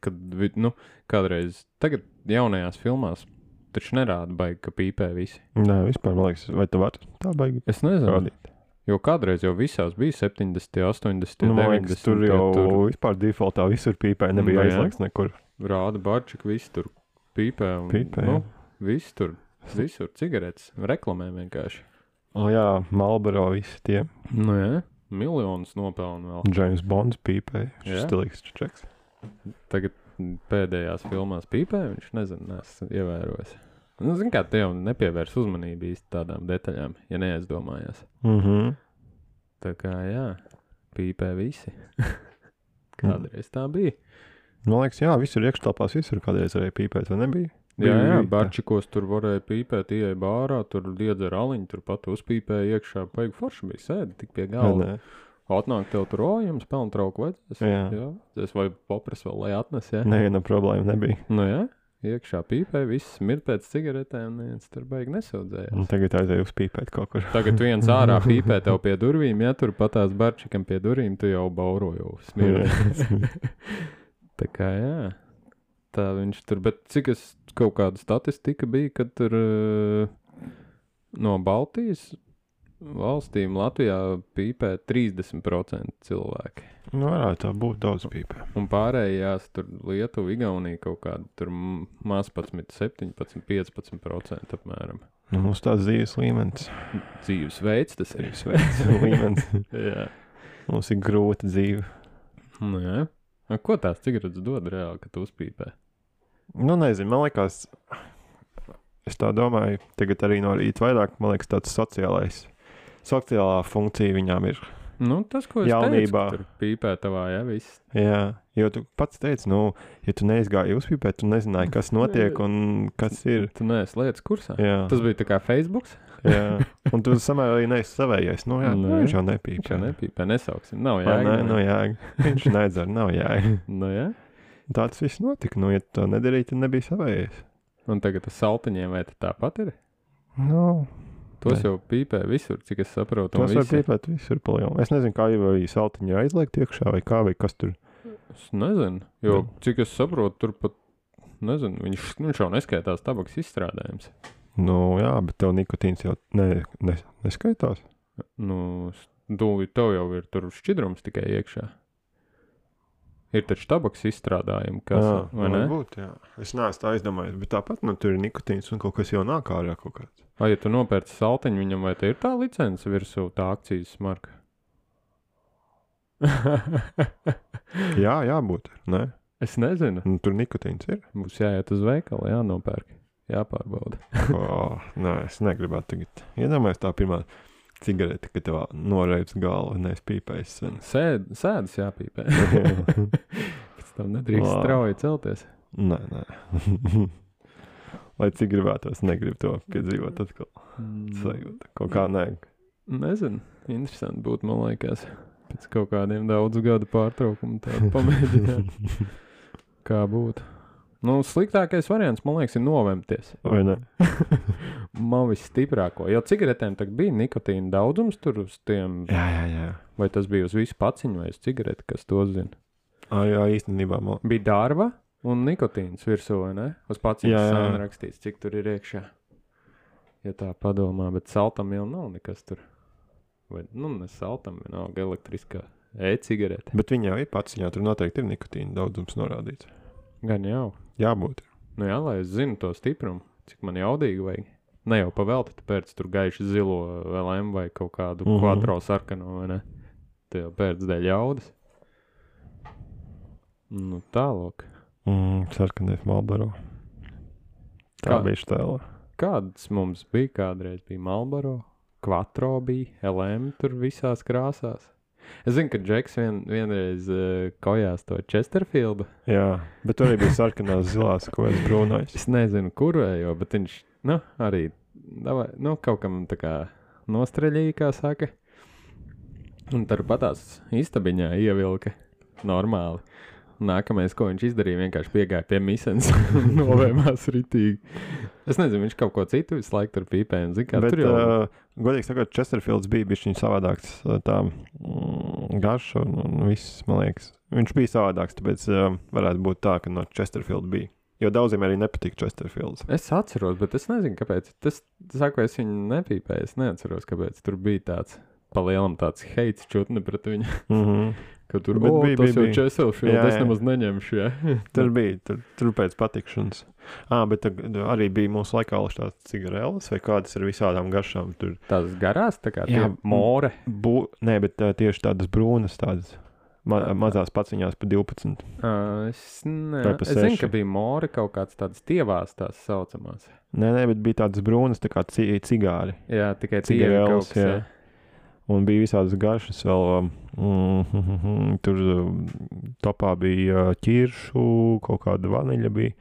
Kad, vi- nu, kādreiz, tagad jaunajās filmās taču nerāda baigi, ka pīpē visi. Nē, vispār, man liekas, vai tu vari tā baigi Es nezinu. rādīt? Jo kādreiz jau visās bija septiņdesmit, astoņdesmit, Nu, man liekas, deviņdesmit. tur jau tur vispār defaultā visur pīpē, nebija Nu, jā. aizliegts nekur. rāda barčik, visi tur pīpē. Un, Pīpē, nu, jā. visi tur, visur cigaretes, reklamē vienkārši. O jā, Marlboro visi tie. Nu jā, miljonus nopelna vēl. James Bonds pīpē. Jā. Šis stilīgs čeks. Tagad pēdējās filmās pīpē, viņš nezinu, neesmu ievērojis. Nu, zin kā, te jau nepievērs uzmanību īsti tādām detaļām, ja neaizdomājās. Mhm. Tā kā, jā, pīpē visi. Kādreiz tā bija. Man liekas, jā, visur iekštelpās, visur kādreiz varēja pīpēt, vai nebija? Jā, Bija- jā, bija tā. barčikos tur varēja pīpēt, ieeja bārā, tur liedza raliņu, tur pat uzpīpēja iekšā. Paigi forši bija sēdi tik pie Vai galda. ne? Atnāk tev tur, o, jums pelnu trauku vajadzēs. Jā. jā. Es vai papras vēl, lai atnes, jā. Neviena problēma nebija. Nu jā, iekšā pīpēja, viss mirt pēc cigaretēm, neviens tur baigi nesaudzējās. Un tagad aizēju uzpīpēt kaut kur. Tagad viens ārā pīpē tev pie durvīm, ja tur patās barčikam pie durvīm, tu jau bauro jau smirdi. Tā kā jā, tā viņš tur, bet cik es kaut kāda statistika bija, kad tur uh, no Baltijas valstīm Latvijā pīpē trīsdesmit procenti cilvēki. Nu, varētu tā būt daudz pīpē. Un pārējās tur Lietuva, Igaunija kaut kāda tur m- maz padsmit, septiņpadsmit, piecpadsmit procenti apmēram. Nu, mums tāds dzīves līmenis. Dzīvesveids tas ir. Dzīves līmenis. Jā. Mums ir grūta dzīve. Nu jā. A, ko tās cigaretes dod reāli, kad tu uzpīpē? Nu, nezinu, man liekas, es tā domāju, tagad arī no rīta vairāk, man liekas, tāds sociālais, sociālā funkcija viņām ir. Nu, tas, ko es Jaunībā. teicu, ka tur pīpē tavā, jā, viss. Jā, jo tu pats teici, nu, ja tu neizgāji uzpīpēt, tu nezināji, kas notiek un kas ir. Tu neesi lietas kursā. Jā, Tas bija tā kā Facebooks. jā. Un tu samērā arī neesi savējais. Nu, jā, Nē. nu, viņš jau Viņš nepīpē. jau nepīpē, nesauksim. Nav Vai jēga. ne? Nu, jā, viņš nedzer, nav jēga. Nu, jā. Tāds viss notika. Nu, ja tu to nedarīji, tad nebija savējais. Un tagad ar saltiņiem vai tas tāpat ir? Nu, Tos Ne. jau pīpē visur, cik es saprotu. un tas var visi- pīpēt visur palielām. Es nezinu, kā jau ir saltiņa aizliegt iekšā vai kā, vai kas tur. Es nezinu, jo, Nu. cik es saprotu, tur pat, nezinu, viņš, viņš jau neskaitās tabaks izstrādājums. Nu, jā, bet tev nikotīns jau ne, ne, neskaitās. Nu, s- Tu, tev jau ir tur šķidrums tikai iekšā. Ir taču tabaks izstrādājumi, kas, jā, vai ne? Būt, jā. Es neesmu tā aizdomājies, bet tāpat, nu, tur ir nikotīns un kaut kas jau nāk ārā kaut kāds. Vai, ja tu nopērci saltiņu viņam, vai te ir tā licence virsū, tā akcijas marka? Jā, jābūt, ne? Es nezinu. Nu, tur nikotīns ir. Būs jāiet uz veikalu, jānopērk, jāpārbauda. Oh, nē, es negribētu tagad. Iedomājies tā pirmā cigarete, kad tev noreips galvu, nees pīpējis sen. Sēd, sēdas jāpīpē. Pēc tam nedrīkst Wow. strauji celties. Nē, nē. Lai cik gribētos, negribu to piedzīvot atkal. Sajūta. Kaut kā nē. Nezinu. Interesanti būtu, man liekas, pēc kaut kādiem daudzu gadu pārtraukumu tādu pamēģināt. Kā būtu. Nu, sliktākais variants, man liekas, ir novemties. Vai ne? Man visstiprāko. Jo cigaretēm tagad bija nikotīna daudzums tur uz tiem, Jā, jā, jā. vai tas bija uz visu paciņu vai uz cigareti, kas to zina. Ā, jā, īstenībā man. Bija dārva un nikotīns virsū, vai ne? Uz paciņas Jā, jā. sāna rakstīts, cik tur ir iekšā. Ja tā padomā, bet saltam jau nav nekas tur. Vai, nu, ne saltam, vienalga elektriskā e-cigarete. Bet viņa jau ir pats, jā, tur noteikti ir nikotīna daudzums norādīts. Gan jau. Jābūt. Nu jā, lai es zinu to stiprumu, cik man jaudīgi vajag. Ne jau pavelti, tu pērc tur gaiši zilo L M vai kaut kādu Mhm. quattro sarkano, vai ne? Tu jau pērc dēļ jaudas. Nu tālāk. Mm, sarkanais Marlboro. Tā Kā? bija štēla. Kāds mums bija kādreiz? Bija Marlboro, quattro bija, L M tur visās krāsās. Es zinu, ka Džeks vien, vienreiz uh, kojās to Chesterfieldu. Jā, bet tur arī bija sarkanās zilās, ko es brūnais. Es nezinu, kurējo, bet viņš, nu, arī, davai, nu, kaut kam tā kā nostreļīja, kā saka. Un tur patās istabiņā ievilka normāli. Nākamais, ko viņš izdarīja, vienkārši piegāja pie misens un novēmās ritīgi. Es nezinu, viņš kaut ko citu visu laiku tur pīpēja. Zin, kā, Bet, tur jau... uh, godīgi sakot, Chesterfields bija bišķiņ savādāks uh, tā mm, garša un, un viss, man liekas. Viņš bija savādāks, tāpēc uh, varētu būt tā, ka no Chesterfield bija. Jo daudziem arī nepatīk Chesterfields. Es atceros, bet es nezinu, kāpēc. Tas, saku, es viņu nepīpēju, es neatceros, kāpēc tur bija tāds palielam tāds heits čutni pret viņu. Mhm. Ka tur, Bet o, bija, tas bija, jau bija. Chesterfield, Jā, es jā. nemaz neņemšu, jā. Tur bija, tur, tur pēc patikšanas. Ā, bet tag- arī bija mūsu laikā tās cigareles vai kādas ar visādām garšām. Tur Tās garās, tā kā Jā, tie more. bū, nē, bet uh, tieši tādas brūnas, tādas ma mazās paciņās pa divpadsmit. Uh, es ne, Vai pa es zinu, seši? ka bija more kaut kāds tāds tievās tās saucamās. Nē, nē, bet bija tādas brūnas, tā kā ci cigāri. Jā, tikai tievi Cigareles, kaut kas, jā. jā. Un bija visādas garšas vēl. Um, mm, mm, mm, tur um, topā bija uh, ķiršu, kaut kāda vaniļa bija.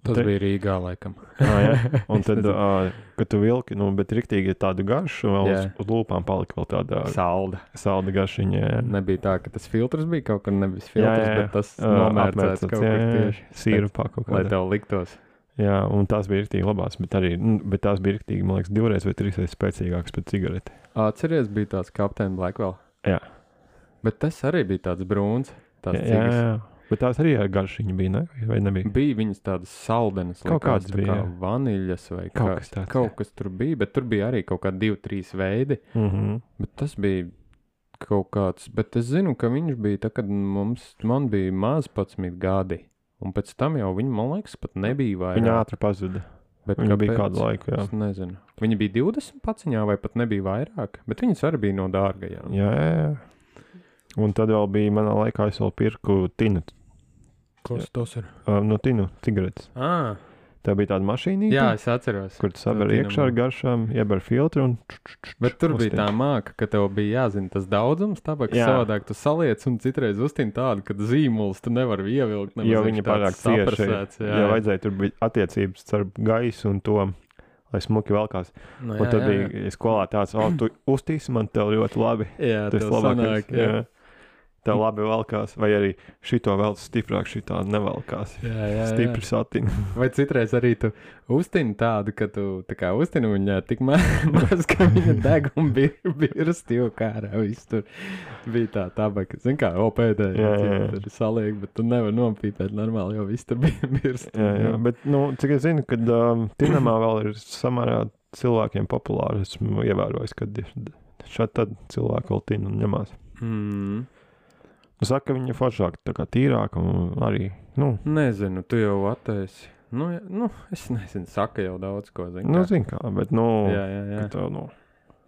Tas Te- bija Rīgā, laikam. Ah, jā. Un Es tad, nezinu. uh, kad tu vilki, nu, bet riktīgi tādu garšu, vēl uz, Jā. uz lūpām palika vēl tāda Salda. salda garšiņa. Jā. Nebija tā, ka tas filtrs bija kaut kur nevis filtrs, Jā, jā, jā. bet tas Ā, nomērcēts apmērcēts, kaut jā, kur jā. tieši. Sīrupā kaut Lai kādā. tev liktos. Jā, un tās bija riktīgi labās, bet arī, nu, bet tās bija riktīgi, man liekas, divreiz vai trīsreiz spēcīgākas pēc cigareti. Atceries, bija tāds Captain Blackwell. Jā. Bet tas arī bija tāds brūns. Tās Jā, jā, cigas. jā. Bet tās arī ar garšiņu bija, ne? Vai nebija? Bija viņas tādas saldenas, Kaut likās, kādas tā bija, kā jā. vaniļas vai Kaut kā- kas tāds, Kaut jā. kas tur bija, bet tur bija arī kaut kādi divi, trīs veidi. Mhm. Bet tas bija kaut kāds, bet es zinu, ka viņš bija tā, kad mums, man bija maz padsmit gadi. Un pēc tam jau viņa, man liekas, pat nebija vairāk. Viņa ātri pazuda. Bet Viņa bija kāpēc? kādu laiku, jā. Es nezinu. Viņa bija divdesmit paciņā vai pat nebija vairāk, bet viņas arī bija no dārgajām. Jā, jā, jā. Un tad vēl bija manā laikā, es vēl pirku tinu, Kas tas ir? uh, no tinu cigaretes. Ah, Tā bija tāda mašīnīte, jā, es atceros. kur tu saver To iekšā ar Tinamo. garšām, ieber filtru un... Bet tur bija uztin. tā māka, ka tev bija jāzina tas daudzums, tabaks Jā. savādāk tu saliec un citreiz uztin tādu, ka zīmuls tu nevar ievilkt. nemaz Jo viņš viņa tāds pārāk cieši. saprasēts, Jā, jā, vajadzēja tur bija attiecības starp gaisu un to, lai smuki velkās. Nu, Un tad bija skolā tāds, o, tu uztīsi man tev ļoti labi. Jā, Tas tev labākais. sanāk, jā. Jā. Tev labi velkās, vai arī šito vēl stiprāk, šitā nevelkās. Jā, jā, jā. Stipri satina. Vai citreiz arī tu uztini tādu, ka tu tā kā uztini viņā tik ma maz, ka viņa deg un bir birst jau kārā. Viss tur bija tā tabaka. Zin kā, o pēdējā, Jā, jā, jā. tur saliek, bet tu nevar nopīpēt normāli, jo viss tur bija birst. Jā, jā, bet, nu, cik es zinu, kad um, Tinamā vēl ir samērā cilvēkiem populāri, esmu ievērojis, kad ir šādi tad cilvēki vēl tina un ņemās. Mm. Nu, saka, ka viņa foršāk, tā kā tīrāka un arī, nu... Nezinu, tu jau attaisi. Nu, ja, nu, es nezinu, saka jau daudz ko, zinu. Nu, zin kā, bet, nu... Jā, jā, jā. Tā, nu...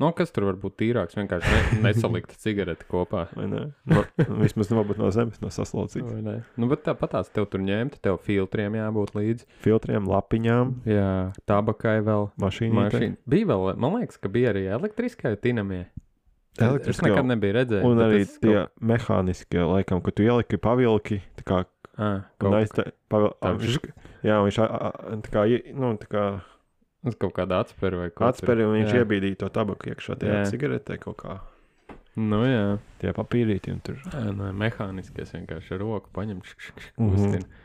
Nu, kas tur var būt tīrāks? Vienkārši ne, nesalikt cigareti kopā. Vai ne? No, vismaz varbūt no zemes, no saslaucītas. Vai ne? Nu, bet tāpatās tev tur ņemt, tev filtriem jābūt līdzi. Filtriem, lapiņām, Jā, tabakai vēl. mašīnītei. Mašīna. Bija vēl, man liekas, ka bija arī elektriskai tinamie. Es Elektriskie. nekad nebiju redzējis. Un bet arī es tie mehāniskie, laikam, ka tu ieliki pavilki, tā kā, Ah, un kaut, aizte, pavil, tā viņš, jā, viņš, a, a, tā kā, ie- nu, tā kā uz kaut kāda atsperi vai kaut atsperi, un viņš jā. iebīdīja to tabaku iekšā tajā Jā. cigaretē kaut kā, Nu jā, tie papīrīti, un tur, jā nē, mehāniskais vienkārši ar roku paņem, šk, šk, šk, Mhm. kustina.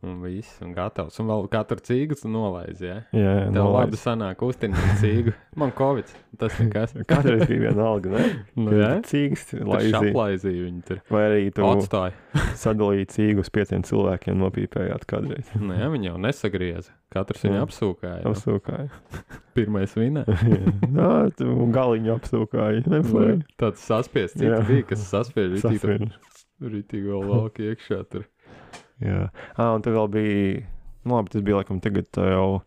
Un viss, un gatavs. Un vēl katru cīgu tu nolaizi, jā? jā, jā, Tev nolaist. labi sanāk kustina cīgu. Man Covid, tas nekas. Katreiz bija viena alga, ne? Nu jā, Cīgs, tur laizīja. šaplaizīja viņi tur. Vai arī tu Atstāja. sadalīji cīgu uz pieciem cilvēkiem, nopīpējāt kādreiz. Nu jā, viņi jau nesagrieza. Katrs viņu Jā. apsūkāja. Nu, Apsūkāji. pirmais vinē. Jā, tu galiņu apsūkāji. Nu, Neflēji. tāds saspiests, Jā. citi bija, kas saspiež ritīgi. Sasvien. Ritīgi vēl valk iekšā tur. Jā. Ah, un tad vēl bija, nu labi, tas bija laikam tagad tā jau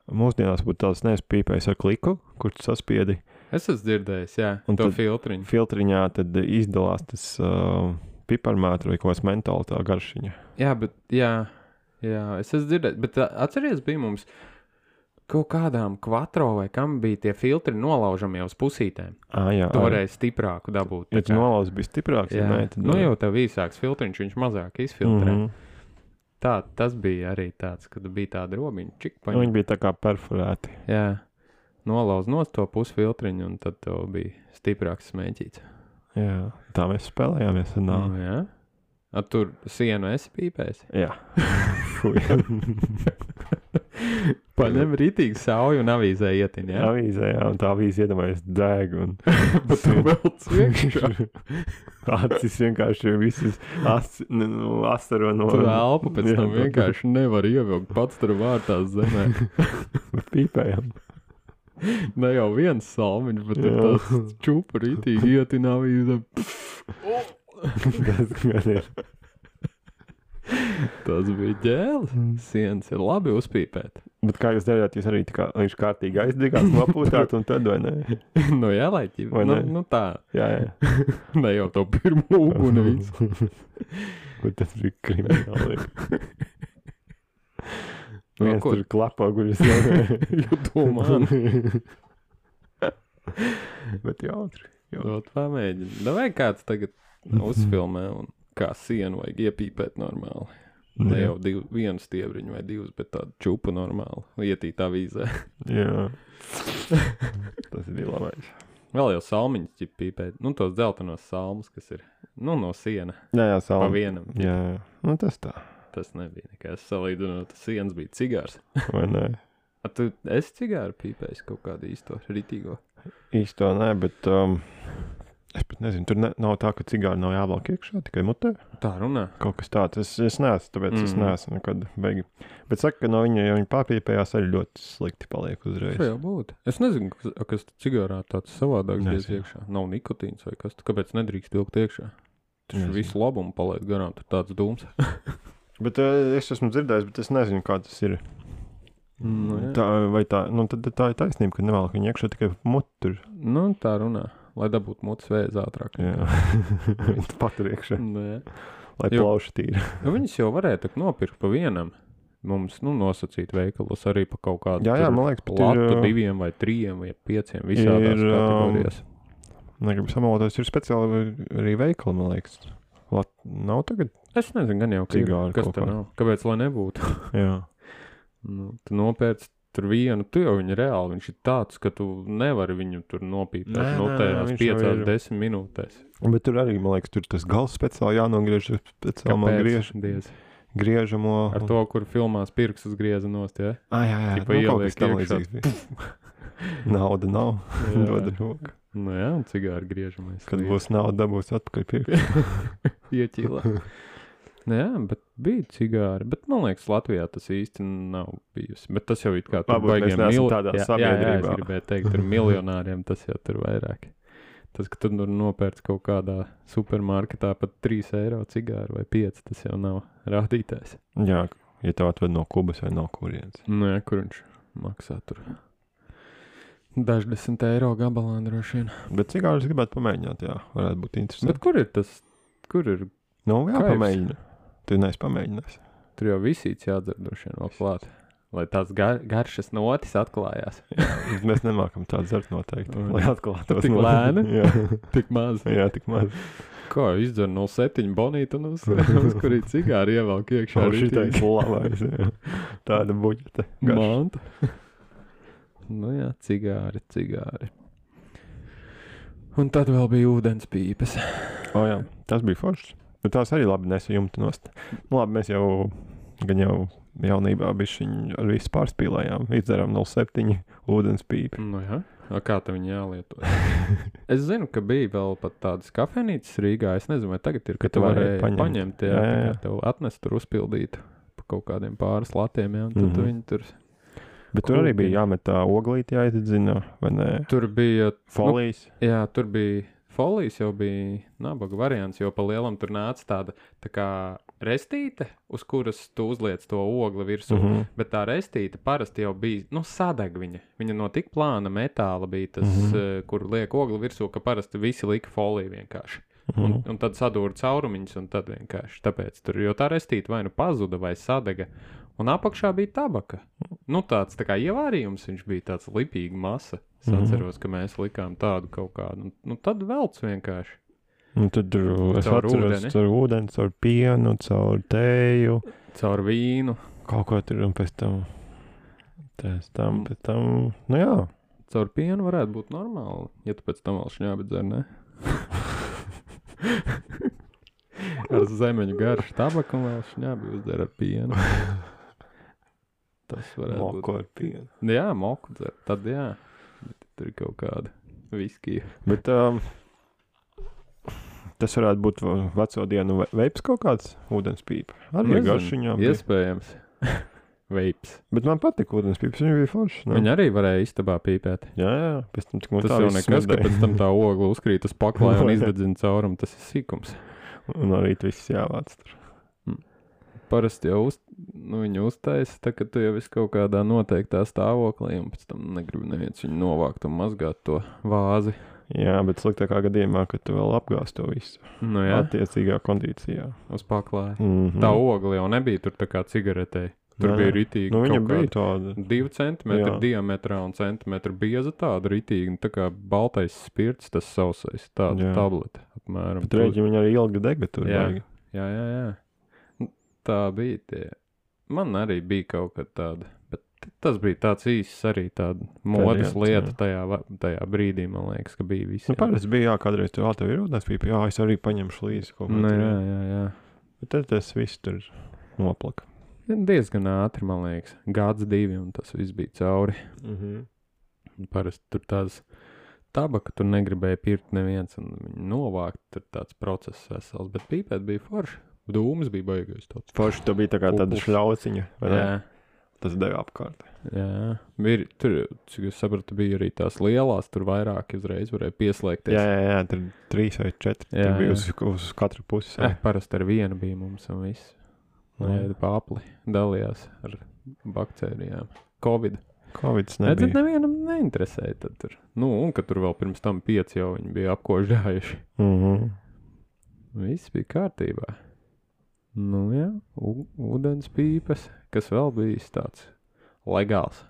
mūsdienās būtu tāds nespīpējis ar kliku, kur tu saspiedi Es esmu dzirdējis, jā, Un to tad- filtriņu. filtriņā, tad izdalās tas uh, piparmētra vai kaut kāds mentāli tā garšiņa. Jā, bet, jā, jā, es esmu dzirdējis, bet ā, atceries, bija mums kaut kādām kvatro vai kam bija tie filtri nolaužamie uz pusītēm. Ah, jā. Tu varēji stiprāku dabūt. Ja tā tu kā- nolauz bija stiprāks, jā, ja nē, tad... nu jau tev īsāks filtriņš, viņš mazāk izfiltrē. Mm Mhm. -hmm. Tā, tas bija arī tāds, kad bija tāda robiņa, čik Nu, paņem. Viņi bija tā kā perforēti. Jā, nolauz nost to pusfiltriņu un tad tev bija stiprāks smēķīts. Jā, tā mēs spēlējāmies. Un, Nu, mm. jā. A, tur sienu esi pīpējis? Jā. Fui. Paņem rītīgi sauju un avīzē ietin, jā? Avīzē, jā, un tā avīze iedomājas deg. Un... Bet tu vēl ciekšā. Acis vienkārši visas as, ne, nu, astaro no... Tu elpu pēc Jā, tam tā- vienkārši nevar ievilkt pats tur vārtās zemē. Pīpējam. Ne jau viens salmiņš, bet tur Jā. tas čupa rītīgi ietin avīzē. Tas gan ir. Tas bija ģēlis. Sienas ir labi uzpīpēt. Bet kā jūs darījāt, jūs arī tā kā viņš kārtīgi aizdegās, nopūtāt un tad vai ne? Nu jā, lai ķi... Vai Nu, ne? nu tā. Jā, jā. Ne jau to pirmo uguni visu. Bet tas bija krimināli. Nu, Viens ko- tur klapā, guļas. Jo domā. Bet jautri. Dot pamēģini. Da vai kāds tagad uzfilmē un kā sienu vajag iepīpēt normāli. Ne jau div, vienu stiebriņu vai divus, bet tādu čupu normāli. Ietīt avīzē. Jā. Tas bija labais. Vēl jau salmiņas ķip pīpēt. Nu, tos dzeltenos salmus, kas ir, nu, no siena. Jā, jā, Pa salmi. vienam. Jā, jā. Nu, tas tā. Tas nebija nekas salīdzinot. Tas sienas bija cigārs. Vai ne? A, tu esi cigāru pīpējis kaut kādu īsto ritīgo? Īsto nē, bet um, es pat nezinu, tur ne, nav tā, ka cigāri nav jāvelk iekšā, tikai mutē. Tā runā. Kaut kas tāds. Es, es neesmu, tāpēc mm. es Mhm. neesmu nekad beigi. Bet saka, ka no viņa, ja viņa pārpīpējās, arī ļoti slikti paliek uzreiz. Tā jau būtu. Es nezinu, kas, kas cigārā tāds savādāks diez Nezinu. iekšā. Nav nikotīns vai kas. Tu kāpēc nedrīkst ilgt iekšā? Tas Nezinu. visu labumu palaid garām, tur tāds dūms. Bet uh, es esmu dzirdējis, bet es nezinu, kā tas ir. Nu, jā. Tā, vai tā, nu tad tā ir taisnība, ka nevēl viņa iekšā tikai mutur. Nu, tā runā. Lai dabūtu mutes vēzi ātrāk. Jā. Patur iekšā, Nu, jā. lai Jo. plauši tīri. Nu, viņas jau varēja tak nopirkt pa vienam. Mums, nu, nosacīt veikalos arī pa kaut kādu Jā, jā, tur man liekas, pat ir, latu uh, diviem vai trījiem vai pieciem visādās ir, um, kategorijās. Negribu samaloties, ir speciāli arī veikali, man liekas. Lat, nav tagad? Es nezinu, gan jau, ka ir, Cigāri kas kaut tur kā. nav. Kāpēc, lai nebūtu? Jā. Nu, tu nopērci tur vienu, tu jau viņu reāli, viņš ir tāds, ka tu nevari viņu tur nopīpēt. Nē, No nē, tajās viņš jau piecās, ir- desmit minūtēs. Bet tur arī, man liekas, tur tas gals speciāli jānogriež, speciāli man griež, Diez. griežamo. Ar to, kur filmās pirkstus grieza nost, ja? Ah, jā, jā, Tipa nu, kaut ieliek kas tam iekšā. līdzīgs bija. Nauda nav, Jā. dod roku. Nu jā, un cigāri griežamais. Kad būs nauda, dabūs atpakaļ pirkt. Ieķīlā. Nu jā, bet bija cigāri. Bet man liekas, Latvijā tas īsti nav bijusi. Bet tas jau it kā tur Varbūt mēs baigiem neesam mil- tādā jā, Jā, jā, sabiedrībā. es gribēju teikt, tur miljonāriem tas jau tur vairāk. Tas, ka tu tur nopērc kaut kādā supermarketā pat trīs eiro cigāru vai pieci, tas jau nav rādītājs. Jā, ja tev atved no Kubas vai no kurienes. Nu jā, kur viņš maksā tur daždesmit eiro gabalā droši vien. Bet cigārus gribētu pamēģināt, jā, varētu būt interesanti. Bet kur ir tas, kur ir, Nu, jā, Kaifs. pamēģina. Tu neesi pamēģinājis. tur jau visīts jādzer droši vien vēl klāt, lai tās gar, garšas notis atklājās. Mēs nemākam tādu dzert noteikti, Un- lai atklātos. Tik no- lēni? Jā, Tik maz. jā, tik maz. Kā, izdzer nulle septiņi bonītu un uz, uz kurī cigāri ievelk iekšā. Šā šitais labais, jā. Tāda buģete. garša. Manta. Nu jā, cigāri, cigāri. Un tad vēl bija ūdens pīpes. O jā, tas bija foršs. Bet tās arī labi nesa jumta nost. Nu labi, mēs jau, gan jau jaunībā bišķiņ ar visu pārspīlējām. Izdarām nulle septiņi ūdens pīpi. Nu jā, a kā tam viņi jālieto? Es zinu, ka bija vēl pat tādas kafejnīcas Rīgā. Es nezinu, vai tagad ir, ka Ka tu tu varēji varēji paņemt. paņemt, jā, Jā, jā, jā. jā. Tev atnest tur uzpildīt pa kaut kādiem pāris latiem, jā, un tad Mhm. tu viņi tur... Bet tur arī Kūkiņi. bija jāmet tā oglīti jāizdedzina, vai ne? Tur bija... Folijas. Nu, jā, tur bija... Folijas jau bija nabaga variants, jo pa lielam tur nāca tāda tā kā restīte, uz kuras tu uzliec to ogli virsū. Mhm. Bet tā restīte parasti jau bija, nu, sadeg viņa. Viņa no tik plāna metāla bija tas, Mhm. uh, kur liek ogli virsū, ka parasti visi lika foliju vienkārši. Un, Mhm. un tad sadūra caurumiņus, un tad vienkārši tāpēc tur, jo tā restīte vai nu pazuda, vai sadega. Un apakšā bija tabaka. Nu, tāds tā kā ievārījums, viņš bija tāds lipīga masa. Es Mhm. atceros, ka mēs likām tādu kaut kādu. Nu, nu tad velc vienkārši. Un tad tur es Caur atceros, ūdeni. caur ūdeni, caur pienu, caur tēju, Caur vīnu, kaut ko tur un pēc tam, pēc tam, pēc tam, nu jā. caur pienu varētu būt normāli, ja tu pēc tam vēl šņābi dzer, ne? Ar zemeņu garšu tabaku un vēl šņābi uzdzer ar pienu. Tas varētu būt. Moko ar pienu. Jā, moku dzer, tad jā. Bet tur ir kaut kāda viskija. Bet um, tas varētu būt va- veco dienu ve- veips kaut kāds ūdens pīpa. Arī Nezinu, garšiņām. bija. Iespējams. Veips. Bet man patika ūdens pīpas, viņš bija foršs. Nu. Viņi arī varēja istabā pīpēt. Jā, jā, pēc tam tik man Tas tā jau viss nekas, ka smrdēja. pēc tam tā ogla uzkrīt uz paklāja un Jā. izdedzina caurumu. Tas ir sīkums. Un arī viss jāvāc tur. Parasti jau uz, nu, viņu uztaisa, tā ka tu jau esi kaut kādā noteiktā stāvoklī, un pēc tam negribu neviens viņu novākt un mazgāt to vāzi. Jā, bet sliktākā gadījumā, kad tu vēl apgāz to visu. Nu jā, Attiecīgā kondīcijā. uz paklāja. Mm-hmm. Tā ogla jau nebija tur tā kā cigaretei. Tur Nē, bija nē. ritīgi Nu, viņa kaut bija kāda tāda. divi centimetri Jā. diametrā un centimetru bieza tāda ritīgi, tā kā baltais spirts, tas sausais, tāda Jā. tablete apmēram. Bet rēķi viņa arī ilgi dega tur. Jā. baigi. Jā, jā, jā. Nu, tā bija tie. Man arī bija kaut kad tāda, bet tas bija tāds īsts arī tāda modes Periods, lieta jā. tajā, va- tajā brīdī, man liekas, ka bija visi. Nu, parasti bija, jā, kādreiz tur, ā, tev ir ūdens pīpa, jā, es arī paņemšu līdzi kaut ko. Nu, tur, jā, jā, jā. Bet tad tas viss tur noplaka. Diezgan ātri, man liekas, gads divi, un tas viss bija cauri. Mhm. Un parasti tur tāds tabaka, tur negribēja pirkt neviens, un viņi novākt, tur tāds process vesels, bet pīpēt bija forši. Dūmas bija baigais tāds. Forši to bija tā kā tāda Kukuls. šļauciņa, vai ne? Jā, Tas deva apkārt. jā. Bija, tur, cik es sapratu, bija arī tās lielās, tur vairāk uzreiz varēja pieslēgties. Jā, jā, jā, tur trīs vai četri. Jā, Tur bija jā. uz, uz katru pusi. Eh, parasti ar vienu bija mums un viss. Jā. Lai pāpli dalījās ar baktērijām. Covid. Covids Redzat, nebija. nevienam neinteresēja tad tur. Nu, un ka tur vēl pirms tam pieci jau viņi bija apkožģājuši. Mhm. Viss bija kārtībā. Nu jā, u- ūdens pīpes, kas vēl bijis tāds legāls.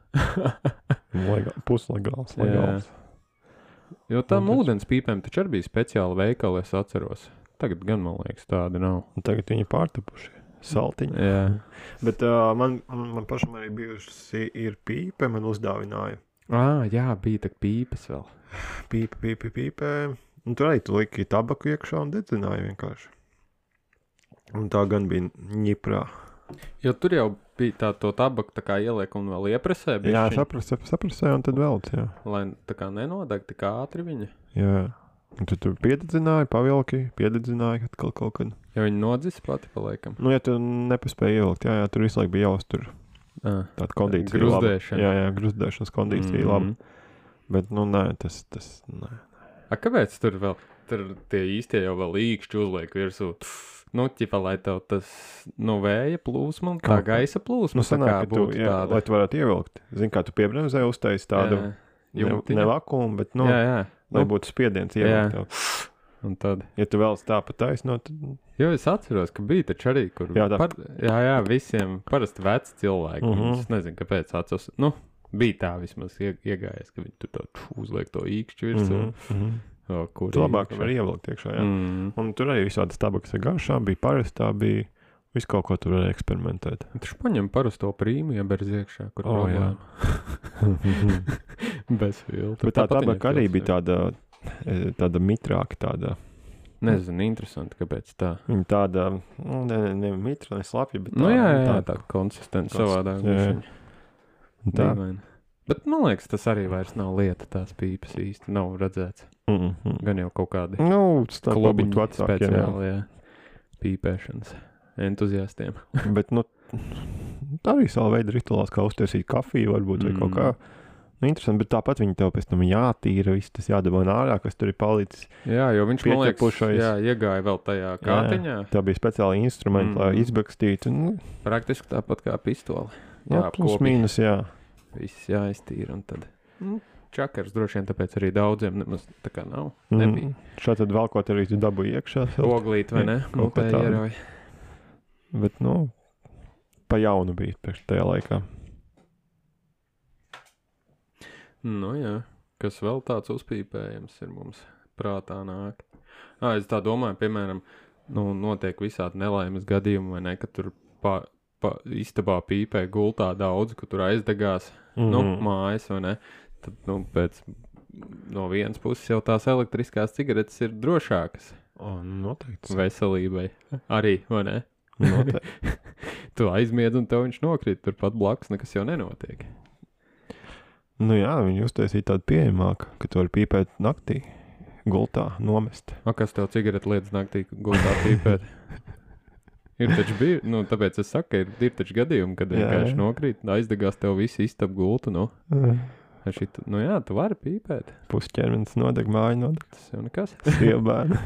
Legā- Puslegāls, Jā. legāls. Jo tam Un tas- ūdens pīpēm taču arī bija speciāli veikali, es atceros. Tagad gan, man liekas, tāda nav. Un tagad viņi pārtapuši. Saltiņi. Jā. Bet uh, man, man, man pašam arī bijusi ir pīpe, man uzdāvināja. Ā, jā, bija tak pīpes vēl. Pīpe, pīpe, pīpe. Un tur arī tu liki tabaku iekšā un dedzināja vienkārši. Un tā gan bija ņiprā. Jo tur jau bija tā to tabaku tā kā ieliek un vēl iepresē, Jā, bišķiņ, saprast, saprasēju un tad vēl, jā. lai tā kā nenodeg tik ātri viņa. Jā. Un tad tu piededzināji, pavilki, piededzināji atkal kaut kad. Jo viņa nodzis pati paliekam. Nu, ja tu nepaspēji ielikt, jā, jā, tur visu laiku bija jāuztur Ah. tāda kondīcija laba. Gruzdēšana. Jā, jā, gruzdēšanas kondīcija mm -hmm. laba. Bet, nu, nē, tas, tas, nē. A kāpēc tur vēl, tur tie īstie jau vēl īkšķi uzliek virsū? Nu, ķipa, lai tev tas, nu, vēja plūsma, tā Kaut kā. gaisa plūsma, Nu, tā kā sanāk, ka tu, būtu jā, tāda. lai tu varētu ievilkt. Zini, kā tu piebremzē uztaisi tādu Jā, ne, jumtiņa. ne vakumu, bet, nu, Jā, jā. lai Nu, būtu spiediens jā. ievilkt tev. un tad, Ja tu vēl tā pa taisno, tad jo es atceros, ka bija taču arī, kur, Jā, tā. par, jā, jā, visiem parasti veci cilvēki, Mhm. uh -huh. Es nezinu, kāpēc atceros, nu, bija tā vismaz ie, iegājies, ka viņi tur tā ču, uzliek to īkšķi virsū, mm mm -hmm. o, kur Tu labāk var ievilkt iekšā, jā. Mm. Un tur arī visādas tabakas ar garšām bija parastā, bija visu kaut ko tur varēja eksperimentēt. Taču paņem parasto prīmu, ja berz iekšā, kur O, jā. problēma. Bez filtra. Bet tā Tāpat tabaka viņai arī filtrs bija tāda, e, tāda mitrāka tāda. Nezinu, interesanti, kāpēc tā. Viņa tāda, nu, ne, ne mitra, ne slapja, bet Nu tāda. jā, jā, tāda- tā konsistence Kons- savādāk. jā, jā. bišķiņ. Tā. Dīvaini. Bet man liekas, tas arī vairs nav lieta, tās pīpas īsti nav redzēts. Mm -hmm. Gan jau kaut kādi Nu, tas tā klubiņi būtu vecākiem, jā. speciāli, jā, pīpēšanas entuziastiem. Bet, nu, tā arī savu veidu rituāls, kā uztaisīt kafiju, varbūt, vai Mm. kaut kā. Nu, interesanti, bet tāpat viņi tev pēc tam jātīra, viss tas jādabā ārā, kas tur ir palicis. Jā, jo viņš, man liekas, Pieķepušais. jā, iegāja vēl tajā kātiņā. Tā bija speciāli instrumenti, mm. lai Mm. izbakstītu. Nu, Praktiski tāpat kā pistoli. jā, Jā, plus kopīgi. mīnus, jā. Viss jāiztīra un tad. Nu, čakars droši vien tāpēc arī daudziem nemaz tā kā nav. Nebija. Mm. Šā tad valkot arī tu dabū iekšā. Oglīt vai ne? Kaut ko Mutē tādu. ierauj. Bet, nu, pa jaunu bija priekš tajā laikā. Nu jā, kas vēl tāds uzpīpējams ir mums prātā nāk. Ā, es tā domāju, piemēram, nu, notiek visādi nelaimes gadījumi, vai ne, ka tur pa, pa istabā pīpē gultā daudz, ka tur aizdegās, mm -hmm. nu, mājas, vai ne. Tad, nu, pēc, no vienas puses jau tās elektriskās cigaretes ir drošākas O, noteikti. veselībai. Arī, vai ne? Noteikti. Tu aizmiedz un tev viņš nokrīt turpat blakus, nekas jau nenotiek. Nu jā, viņi uztaisīja tādu pieejamāku, ka tu vari pīpēt naktī, gultā, nomest. O, kas tev cigareti liedz naktī gultā pīpēt? Ir taču bija, nu, tāpēc es saku, ka ir, ir taču gadījumi, kad Jā, vienkārši jā. nokrīt, aizdegās tev visi istab gultu, nu. Mm. Šit, nu jā, tu vari pīpēt, Pusķermenis nodeg, māja nodeg, tas jau nekas. siebēni.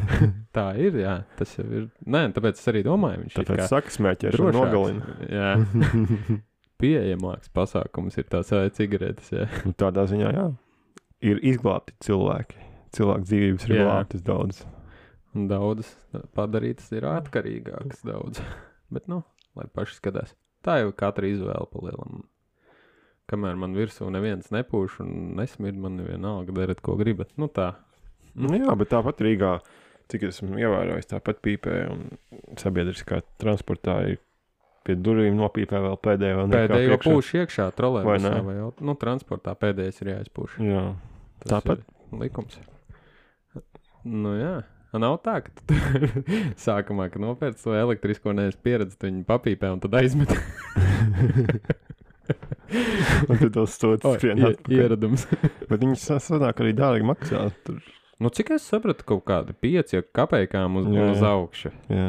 Tā ir, jā, tas jau ir, nē, tāpēc es arī domāju, viņš ir Tāpēc kā saka smēķēšana drošāks. nogalina. Jā, pieejamāks pasākums ir tās ā, cigaretes, jā. Nu, tādā ziņā, jā, ir izglābti cilvēki. Cilvēku dzīvības ir Jā. glābtas daudz. Un daudzas padarītas ir atkarīgākas daudz. Bet, nu, lai paši skatās. Tā jau katra izvēle palielam. Kamēr man virsū neviens nepūš un nesmird, man vienalga darat, ko gribat. Nu tā. Nu, jā, bet tāpat Rīgā, cik esmu ievērojis, tāpat pīpē un sabiedriskā transportā ir pie durvīm nopīpē vēl pēdējo. nekā Pēdējo priekšā. pūš iekšā Vai trolēbusā ne? vai, vai nu, transportā pēdējais ir jāizpūš. Jā, Tas tāpat. ir likums. Nu jā. Nav tā, ka tu sākumā, kad nopērc to elektrisko nevis pieredzi, tu viņu papīpē un tad aizmet. un tad tos stotas O, skrien ie- atpakaļ. Ieradums. Bet viņas sanāk arī dārgi maksā. Tur. Nu, cik es sapratu, kaut kādi pieci kapeikām uz, Jā, uz jā. augšu. Jā.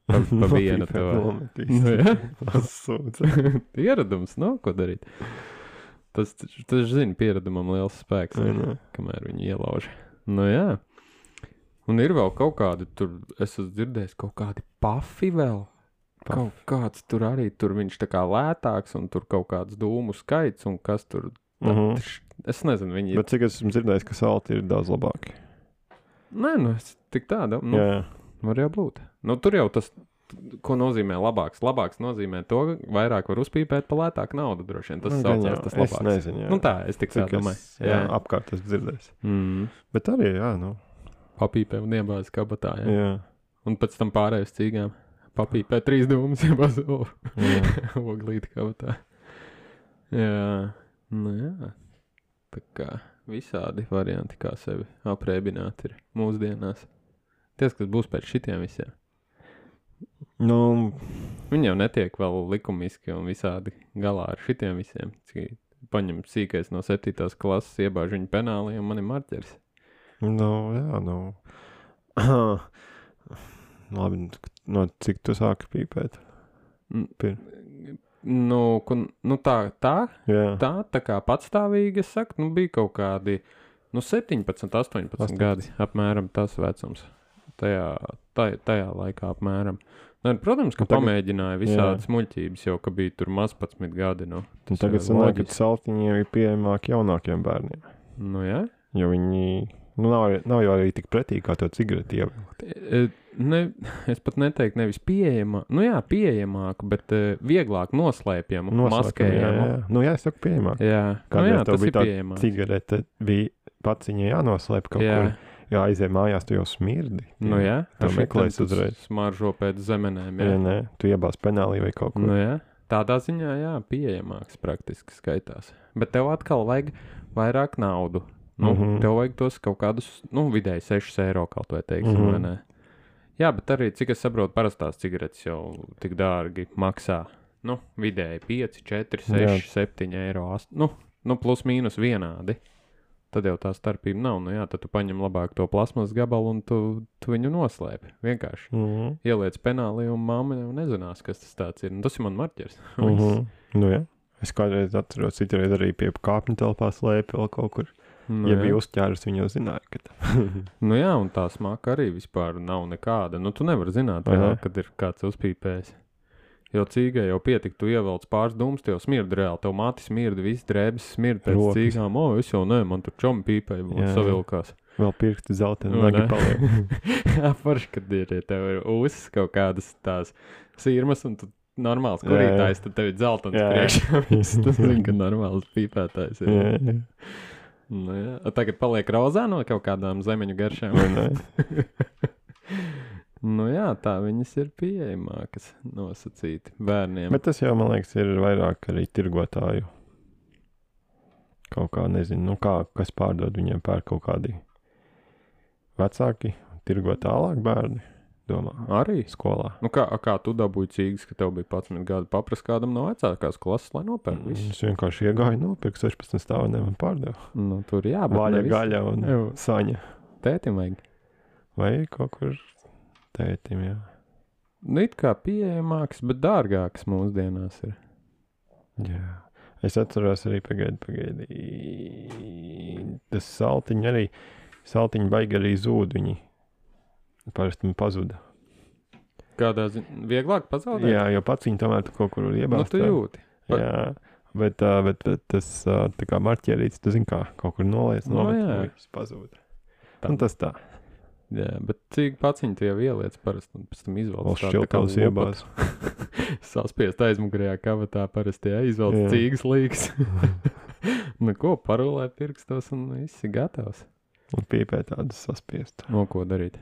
Pa, pa vienu Nopīpē, to. nometīs. Nu, jā. Sūdz. Ieradums, nav ko darīt. Tas, taču- tas zina, pieredumam liels spēks, Vai ir, ne? kamēr viņi ielauž. Nu jā. Un ir vēl kaut kādi, tur, es esmu dzirdējis, kaut kādi pafi vēl. Pafi. Kaut kāds tur arī, tur viņš tā kā lētāks, un tur kaut kāds dūmu skaits, un kas tur, Mhm. tš, es nezinu, viņi ir, Bet cik esmu dzirdējis, ka salti ir daudz labāki. nē, nu, es tik tāda, nu, Jā, var jau būt. Nu, tur jau tas, ko nozīmē labāks. Labāks nozīmē to, ka vairāk var uzpīpēt pa lētāku naudu, droši vien. Tas Nu, saucās gan jau, tas es labāks. nezinu, jā. Nu tā, es tik tā Cik domāju. es, jā, apkārt esmu dzirdējis. Mm. Bet arī, jā, nu. Papīpē un iebāz kabatā, jā. Jā. Un pēc tam pārējais cīgām. Papīpē trīs dūmus iebāz o, jā. oglīti kabatā. Jā, nu jā. Tā kā visādi varianti, kā sevi aprēbināt ir mūsdienās. Ties, kas būs pēc šitiem visiem. Nu, Viņi jau netiek vēl likumiski un visādi galā ar šitiem visiem. Cik paņem sīkais no septītās klases, iebāž viņu penāli un man ir marķeris. nu, jā, nu. Labi, no cik tu sāki pīpēt? Pir. Nu, kun, nu tā, tā, Jā. tā, tā kā patstāvīgi, es saku, nu bija kaut kādi Nu, septiņpadsmit, astoņpadsmit astoņpadsmit. gadi, apmēram tas vecums. Tajā, taj, tajā laikā apmēram. Nu, protams, ka Un tagad- pamēģināja visādas muļķības, jau ka bija tur mazpadsmit gadi. Nu, Un tas tagad ir sanāk, ka loģiski. saltiņiem ir pieejamāk jaunākiem bērniem. Nu, jā. Jo viņi, nu, nav, arī- nav jau arī tik pretīgi kā to cigareti ievilkt. E, Ne, es pat neteiktu nevis pieejamā, nu jā, pieejamāku, bet uh, vieglāk noslēpjamu, maskējamu. Jā, jā. Nu, jā, es saku pieejamāk. Jā, Kā nu, jā tev tas bija ir tā pieejamāk. cigarete, bija pats viņa jānoslēp kaut Jā. kur. Jā, aizēj mājās, tu jau smirdi. Nu jā, Tā ar meklēs šitam tu uzreiz. Smaržo pēc zemenēm, jā. Jā, nē, tu iebāz penālī vai kaut ko. Nu jā, tādā ziņā, jā, pieejamāks praktiski skaitās. Bet tev atkal vajag vairāk naudu. Nu, Mhm. tev vajag tos kaut kādus, nu, vidēji sešus eiro kaut vai teiksim, Mhm. vai ne? Jā, bet arī, cik es saprotu, parastās cigaretes jau tik dārgi maksā. Nu, vidēji pieci, četri, seši, septiņi eiro. ast- Nu, nu, plus mīnus vienādi. Tad jau tā starpība nav. Nu jā, tad tu paņem labāk to plasmas gabalu un tu, tu viņu noslēpi. Vienkārši Mhm. ieliec penālī un mamma jau nezinās, kas tas tāds ir. Un tas ir man marķers. Mhm. Nu jā. Es kādreiz atceros, citreiz arī pie kāpņu telpā slēpi vēl kaut kur. Nu, Ja jā. bija uzķērs, viņi jau zināja, ka tā. Nu jā, un tā smaka arī vispār nav nekāda. Nu, tu nevari zināt, Vai vēl, ne? kad ir kāds uzpīpējis. Jo cīgai jau pietika, tu ievelc pāris dūmus, tev smirda reāli. Tev māti smirda, viss drēbes smirda pēc Rokas. cīgām. O, es jau ne, man tur čomi pīpēja, un Jā. savilkās. Vēl pirksti zeltaini Nu, nagi ne? paliek. Jā, forši, kad ir, ja tev ir uzs kaut kādas tās sirmas, un tu normāls Jā, jā. kurītājs, tad tev ir dzeltens Jā, jā. priekšā. Viss, tu zini, ka normāls pīpētājs ir. Jā, jā. Nu, jā. A tagad paliek rozā no kaut kādām zemeņu garšām. Vai ne? Nu jā, tā viņas ir pieejamākas, nosacīti bērniem. Bet tas jau, man liekas, ir vairāk arī tirgotāju. Kaut kā, nezinu, nu kā, kas pārdod viņiem pērk kaut kādi vecāki, tirgo tālāk bērni, domā, Arī? skolā. Nu kā, a kā tu dabūji cīgas, ka tev bija padsmit gadi, paprast kādam no vecākās klases, lai nopērk visu? Es vienkārši iegāju, nopirku sešpadsmit stāviem un pārdevu. Nu, tur jā, bet Vaļa, ne visi. gaļa un Jā. saņa. Tētim vajag. Vai kaut kur tētim, jā. Nu, it kā pieejamāks, bet dārgāks mūsdienās ir. Jā. Es atceros arī pagaidi, pagaidi. Tas saltiņi arī, saltiņi baigi arī zūd viņi. Parasti man pazuda. Kādā ziņā vieglāk pazaudēt? Jā, jo pats viņi tomēr tu kaut kur nu, iebāzt. tu jūti. Pa- Jā, bet, ā, bet, bet tas ā, tā kā marķierīts, tu zini kā, kaut kur noliec, Nu, nomet, jā. un viss pazūd. Tā. Un tas tā. Jā, bet cik paciņi tu jau ieliec parasti, un pēc tam izvelc Vēl tādu tā kā šķiltavas lopatu. iebāz. Saspiest aizmugurējā kavatā parasti, jā, izvelc Jā. cīgas līgas. Nu ko, parulē pirkstos un viss ir gatavs. Un pīpē tādas saspiest. No ko darīt?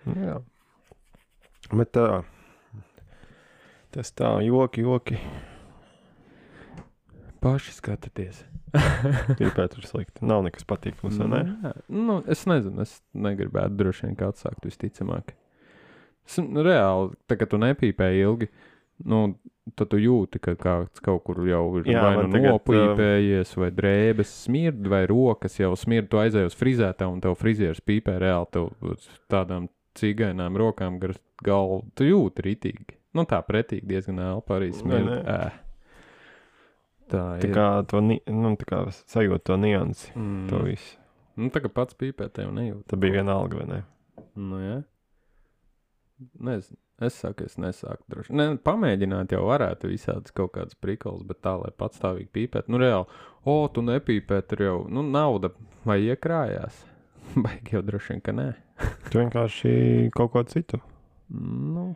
Nu, jā. Bet tā, tas tā, joki, joki. Paši skatieties. Pīpēt ir slikti. Nav nekas patīkams, vai ne? Jā, nu, es nezinu, es negribētu droši vien kā atsākt visticamāk. Es, nu, reāli, tā kā tu nepīpēji ilgi, nu, tad tu jūti, ka kāds kaut kur jau ir Jā, vai man nu tagad, nopīpējies, vai drēbes smird, vai rokas jau smird, tu aizēji uz frizētā un tev frizieris pīpē reāli tev uz tādām cīgainām rokām gar galvu. Tu jūti ritīgi. Nu, tā pretīgi diezgan elpa arī smird. ne? Ē. Tā Tā ir. kā to, ni- nu, tā kā sajūt to niansi, Mm. to visu. Nu, tā kā pats pīpē tev nejūt. Tā bija vienalga, vai ne? Nu, jā. Nezinu. Es saku, es nesāku droši. Ne, pamēģināt jau varētu visādas kaut kādas prikals, bet tā, lai patstāvīgi pīpēt. Nu, reāli, o, tu nepīpē, tur jau, nu, nauda vai iekrājās. Baigi jau droši vien, ka nē. Tu vienkārši kaut ko citu. Nu,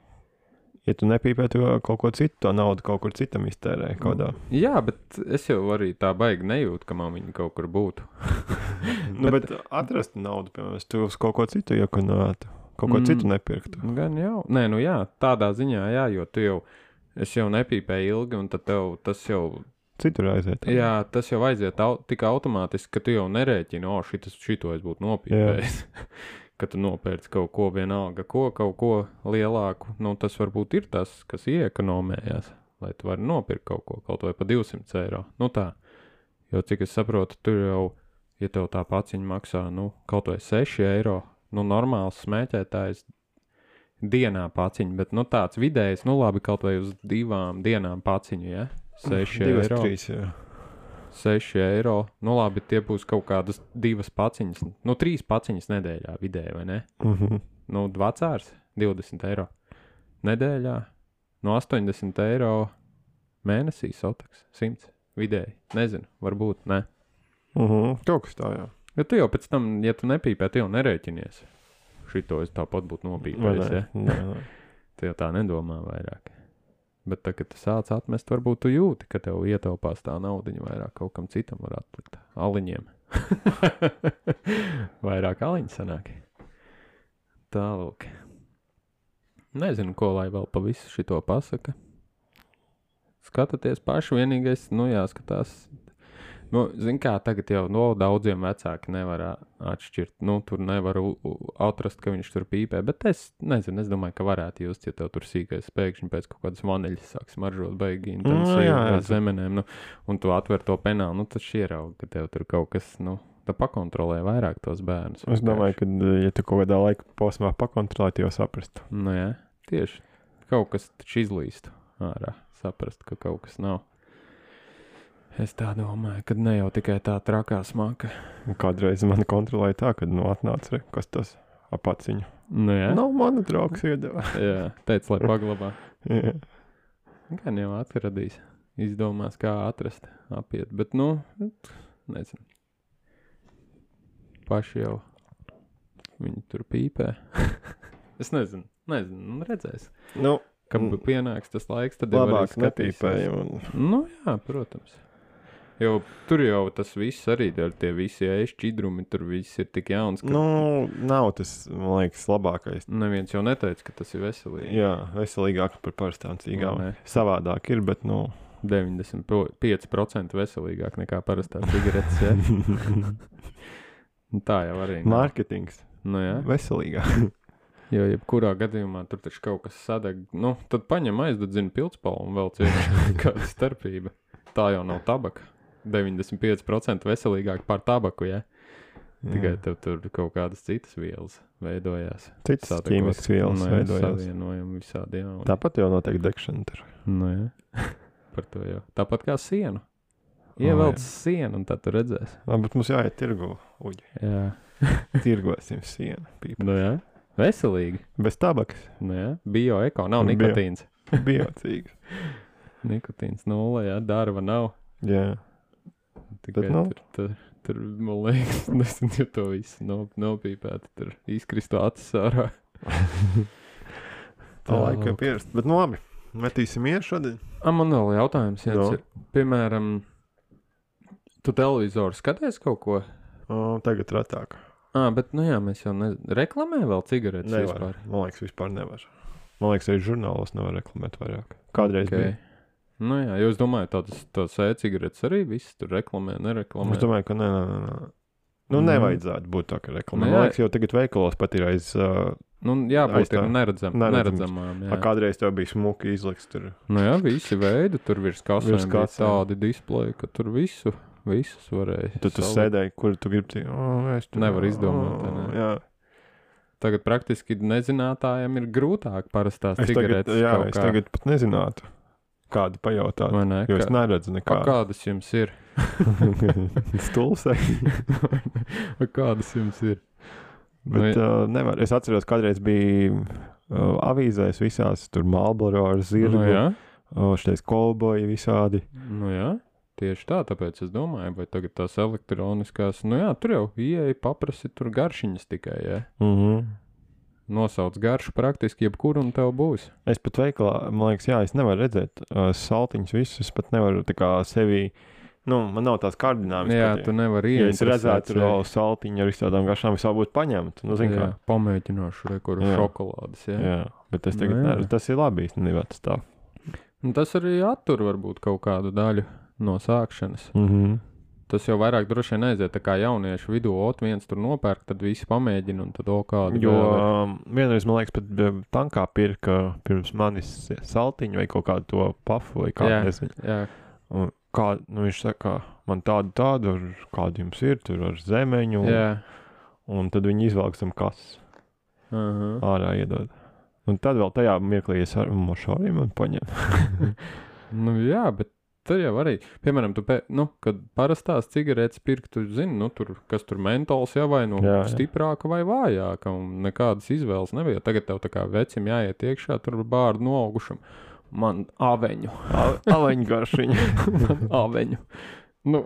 Ja tu nepīpē, tu kaut ko citu, to naudu kaut kur citam iztērē. Kādā. jā, bet es jau arī tā baigi nejūtu, ka man viņa kaut kur būtu. Nu, bet atrast naudu, piemēram, tu uz kaut ko citu iekonētu. Kaut ko Mm. citu nepirktu. Nu, gan jau. Nē, nu jā, tādā ziņā jā, jo tu jau, es jau nepīpēju ilgi, un tad tev tas jau, Citur aiziet. jā, tas jau aiziet au, tik automātiski, ka tu jau nerēķini, o, šitas, šito es būtu nopīpējis. Ka tu nopērci kaut ko vienalga, ko, kaut ko lielāku, nu tas varbūt ir tas, kas iekonomējās, lai tu vari nopirkt kaut ko, kaut vai pa divsimt eiro. Nu tā, jo cik es saprotu, tur jau, ja tev tā paciņa maksā, nu, kaut vai seši eiro, nu, normāls smēķētājs dienā paciņa, bet, nu, tāds vidējs, nu, labi, kaut vai uz divām dienām paciņu, ja? seši Divas, eiro. trīs, jā. seši eiro. Nu labi, tie būs kaut kādas divas paciņas, nu trīs paciņas nedēļā vidēji, vai ne? Mhm. Nu, vecārs divdesmit eiro nedēļā, no astoņdesmit eiro mēnesī sotaks, simts vidēji. Nezinu, varbūt, ne. Mhm. Kaut kas tā, jā. Jo tu jau pēc tam, ja tu nepīpē, tu jau nerēķinies. Šito es tāpat būtu nopīpējis, ja? Nē, nē. Tu jau tā nedomā vairāk. Bet tā, kad tu sāc atmest, varbūt tu jūti, ka tev ietaupās tā naudiņa vairāk kaut kam citam var atlikt. Aliņiem. Vairāk aliņi sanāk. Tālūk. Nezinu, ko lai vēl pa visu šito pasaka. Skatoties paši, vienīgais, nu jāskatās. Nu, zin kā, tagad jau no daudziem vecāki nevar atšķirt. Nu, tur nevar u, u, atrast, ka viņš tur pīpē. Bet es nezinu, es domāju, ka varētu just, ja tev tur sīkais pēkšņi pēc kaut kādas vaneļas sāks maržot baigi intensīvi jā, jā. ar zemenēm. Nu, un tu atver to penālu, nu, tad ieraug, ka tev tur kaut kas, nu, tā pakontrolē vairāk tos bērnus. Es domāju, ka, ja tu kaut kādā laika posmā pakontrolē, jau saprastu. Nu, jā, tieši. Kaut kas taču izlīstu ārā. Saprast, ka kaut kas nav. Es tā domāju, ka ne jau tikai tā trakā smaka. Kādreiz man kontrolēja tā, kad nu atnāca, re, kas tas apaciņu. Nu, jā. Nav mana draugs iedeva. Jā, teica, lai paglabā. Jā. Gan jau atradīs. Izdomās, kā atrast, apiet. Bet, nu, nezinu. Paši jau viņi tur pīpē. Es nezinu, nezinu, nu redzēs. Nu, Kad Mm. pienāks tas laiks, tad jau arī labāk skatīsies. nepīpēja. Un... Nu, jā, protams. Jo tur jau tas viss arī, tie visi ēšķidrumi, tur viss ir tik jauns, ka Nu, nav tas, man liekas, labākais. neviens jau neteica, ka tas ir veselīgi. Jā, veselīgāk par parastām cīgām. Vai ne? Savādāk ir, bet, nu... deviņdesmit pieci procenti veselīgāk nekā parastā cigaretes, jā. Nu, tā jau arī nav. Mārketings. Nu, jā. Veselīgāk. Jo jebkurā gadījumā tur taču kaut kas sadeg. Nu, tad paņem aizdedzina pildspalvu un vēl cieš kāda starpība. Tā jau nav tabaka. deviņdesmit pieci procenti veselīgāk par tabaku, ja? Tikai tev tur kaut kādas citas vielas veidojās. Citas Sadegos. ķīmiskas vielas Nu, jā, veidojās. savienojumi visādi jauni. Tāpat jau notiek degšana tur. Nu, jā. Par to jau. Tāpat kā sienu. jā. Ievelc sienu un tad tu redzēsi. Labi, bet mums jāiet tirgu. Uģi. Jā. Tirgosim sienu. Pīpa. Nu, jā. Veselīgi. Bez tabakas. Nu, jā. Bio-eko. Nav Bio. nikotīns. Biocīgs. Nikotīns nulle, jā. Darba nav. Jā. Tikai Bet, nu. tur, tur, tur, man liekas, nezinu, ja to visu nop, nopīpētu, tur izkristu acis ārā. Tā laika ir pierast. Bet nu labi, metīsim iet šodien. A, man vēl jautājums, ja No. ir, piemēram, tu televizoru skaties kaut ko? O, tagad retāk. Ā, bet, nu jā, mēs jau ne... reklamē vēl cigaretes Nevar. vispār. Man liekas, vispār nevar. Man liekas, arī žurnālos nevar reklamēt vairāk. Kādreiz okay. bija. Nu jā, jo es domāju, tādas, tādas e-cigaretes arī viss tur reklamē, nereklamē. Es domāju, ka nē, nē, nē. nē. Nu, Mm. nevajadzētu būt tā, ka reklamē. Nu, Man jā. liekas, jau tagad veikalos pat ir aiz... Uh, Nu, jābūt aiz tā. ir neredzam, Neredzams. neredzamām, jā. a, kādreiz tev bija smuki izliks tur. Nu jā, visi veidi, tur virs kasēm Virs bija kasēm. tādi displeji, ka tur visu, visus varēja. Tad tu salikt. sēdēji, kur tu gribi... Oh, es tur... Nevar izdomāt, vai ne? Jā. Tagad praktiski nezinātājiem ir grūtāk parastās Es tagad, cigaretes jā, kaut es kā. tagad pat nezinātu, kādu pajautāt. Vai ne? Jo es Kā, neredzu a, nekādu. kādas jums ir? Stulsai. A, kādas jums ir? Bet Nu, uh, nevar. Es atceros, kādreiz bija uh, avīzēs visās, tur Marlboro ar zirgu, nu jā, uh, šitais kolboji visādi. nu jā. Tieši tā, tāpēc es domāju, vai tagad tās elektroniskās, nu jā, tur jau ieeja paprasti tur garšiņas tikai, jā. Mhm. Nosauc garšu praktiski jebkuru un tev būs. Es pat veikalā, man liekas, jā, es nevaru redzēt uh, saltiņus visus, es pat nevaru tā kā sevi, nu, man nav tās kārdinājumas. Jā, pat, tu nevari ja es ieinteresēt redzētu tur sevi. vēl saltiņu ar visādām garšām, es vēl būtu paņemt. Nu, zin kā. Jā, pamēģināšu rekoru Jā. šokolādes, jā. Jā, bet es tagad Nu, jā. nevaru. Tas ir labi īstenībā tas tā. Un tas arī attur varbūt kaut kādu daļu no sākšanas. Mhm. Tas jau vairāk droši vien aiziet tā kā jauniešu vidū, ot viens tur nopērk, tad visi pamēģina un tad o kādu Jo vēl ir. um, vienreiz, man liekas, pat um, tankā pirka pirms manis saltiņu vai kaut kādu to pafu vai kādu, Jā. nezinu. Jā, Un kā, nu viņš saka, man tādu tādu, ar kādu jums ir, tur ar zemeņu, jā. un tad viņi izvelk tam kas Uh-huh. ārā iedod. Un tad vēl tajā mirklī es ar mošāriem un paņem. Nu jā, bet Tad jau arī, piemēram, tu, pē, nu, kad parastās cigaretes pirkt, tu zini, nu, tur, kas tur mentols jau vai nu Jā, jā. stiprāka vai vājāka, un nekādas izvēles nebija. Tagad tev tā kā vecim jāiet iekšā, tur bārdu noaugušam. Man aveņu. Aleņu garšiņu. Man aveņu. Nu,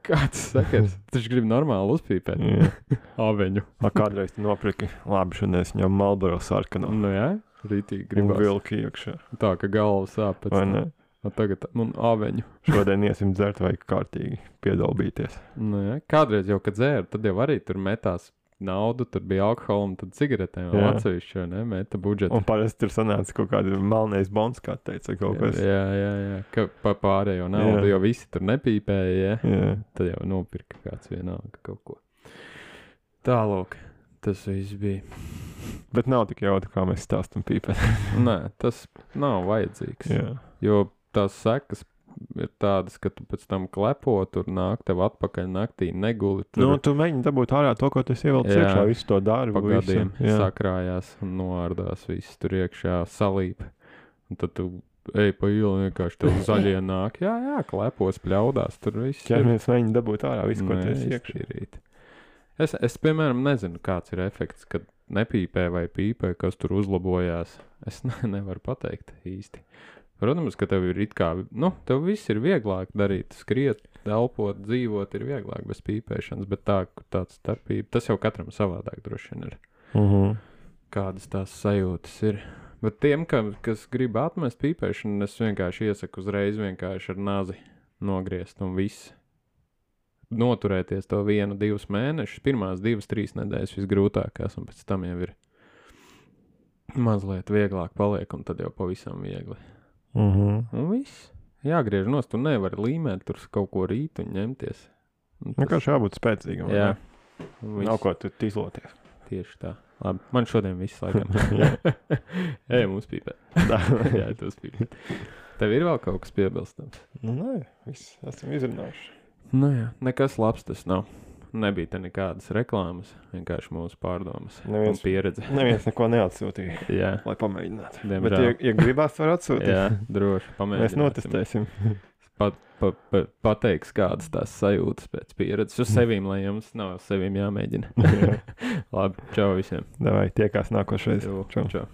kāds sakars? Taču grib normāli uzpīpēt. Jā. Aveņu. A, kādreiz tu nopirki, labi, šodien es ņemu Marlboro sarkano. Nu jā, rītīgi Un gribas. vilki iekšā. Tā, ka galva sāp pēc Vai tam. ne? A, tagad man aveņu. Šodien iesim dzert vai kārtīgi piedalbīties. Nu jā, kādreiz jau, kad dzēra, tad jau arī tur metās naudu, tur bija alkohola un tad cigaretēm vēl Jā. atsevišķi, vai ne, meta budžetu. Un parasti tur sanāca kaut kāda melnais bons, kā teica kaut kas. Jā, jā, jā, ka pa pārējo naudu, Jā. jo visi tur nepīpēja, jā. Jā. Tad jau nopirka kāds vienalga kaut ko. Tālūk, tas viss bija. Bet nav tik jautri, kā mēs stāstam pīpēt. Nē, tas nav vajadzīgs, Jā. jo tās sekas ir tādas, ka tu pēc tam klepo, tur nāk tev atpakaļ naktī, neguli, tur Nu, tu mēģini dabūt ārā to, ko tu ievelc Jā. iekšā, visu to darbu. pa gadiem visu. Jā. sakrājās un noārdās, viss tur iekšā salīp. Un tad tu ej pa ielu, vienkārši tev zaļie nāk, jā, jā, klepos, pļaudās, tur viss ir. Ķermies mēģina dabūt ārā visu, ko tu esi iekšā. Neiztīrīt. Es, es, piemēram, nezinu, kāds ir efekts, kad nepīpē vai pīpē, kas tur uzlabojās. Es ne, nevaru pateikt īsti. Protams, ka tev ir it kā, nu, tev viss ir vieglāk darīt, skriet, elpot, dzīvot ir vieglāk bez pīpēšanas, bet tā, tāds starpība, tas jau katram savādāk droši vien ir. Mhm. Kādas tās sajūtas ir. Bet tiem, ka, kas grib atmest pīpēšanu, es vienkārši iesaku uzreiz vienkārši ar nazi nogriezt un viss. Noturēties to vienu, divus mēnešus, pirmās divas, trīs nedēļas visgrūtākās, un pēc tam jau ir mazliet vieglāk paliek, un tad jau pavisam viegli. Mhm. Un viss. Jāgriež nost, tu nevari līmēt tur kaut ko rīt un ņemties. Un tas- Vienkārši jābūt spēcīgam. vai Jā. ne? un viss. Nav ko tu izloties. Tieši tā. Labi, man šodien viss laikam. Ej, mums pīpē. Jā, tu uzpīpē. Tev ir vēl kaut kas piebilstams? Nu, nē, viss esam izrunājuši. Nu jā, nekas labs tas nav. Nebija te nekādas reklāmas, vienkārši mūsu pārdomas Neviens- un pieredze. Neviens neko neatsūtīja, Jā, lai pamēģinātu. Bet, diemžēl. ja, ja gribās, var atsūtīt. Jā, droši pamēģināsim. Mēs notestēsim. Pat, pa, pa, pateiks, kādas tās sajūtas pēc pieredzes uz sevīm, lai jums nav uz sevīm jāmēģina. Labi, čau visiem. Davai, tiekās nākošais. Čau. Čau. Čau.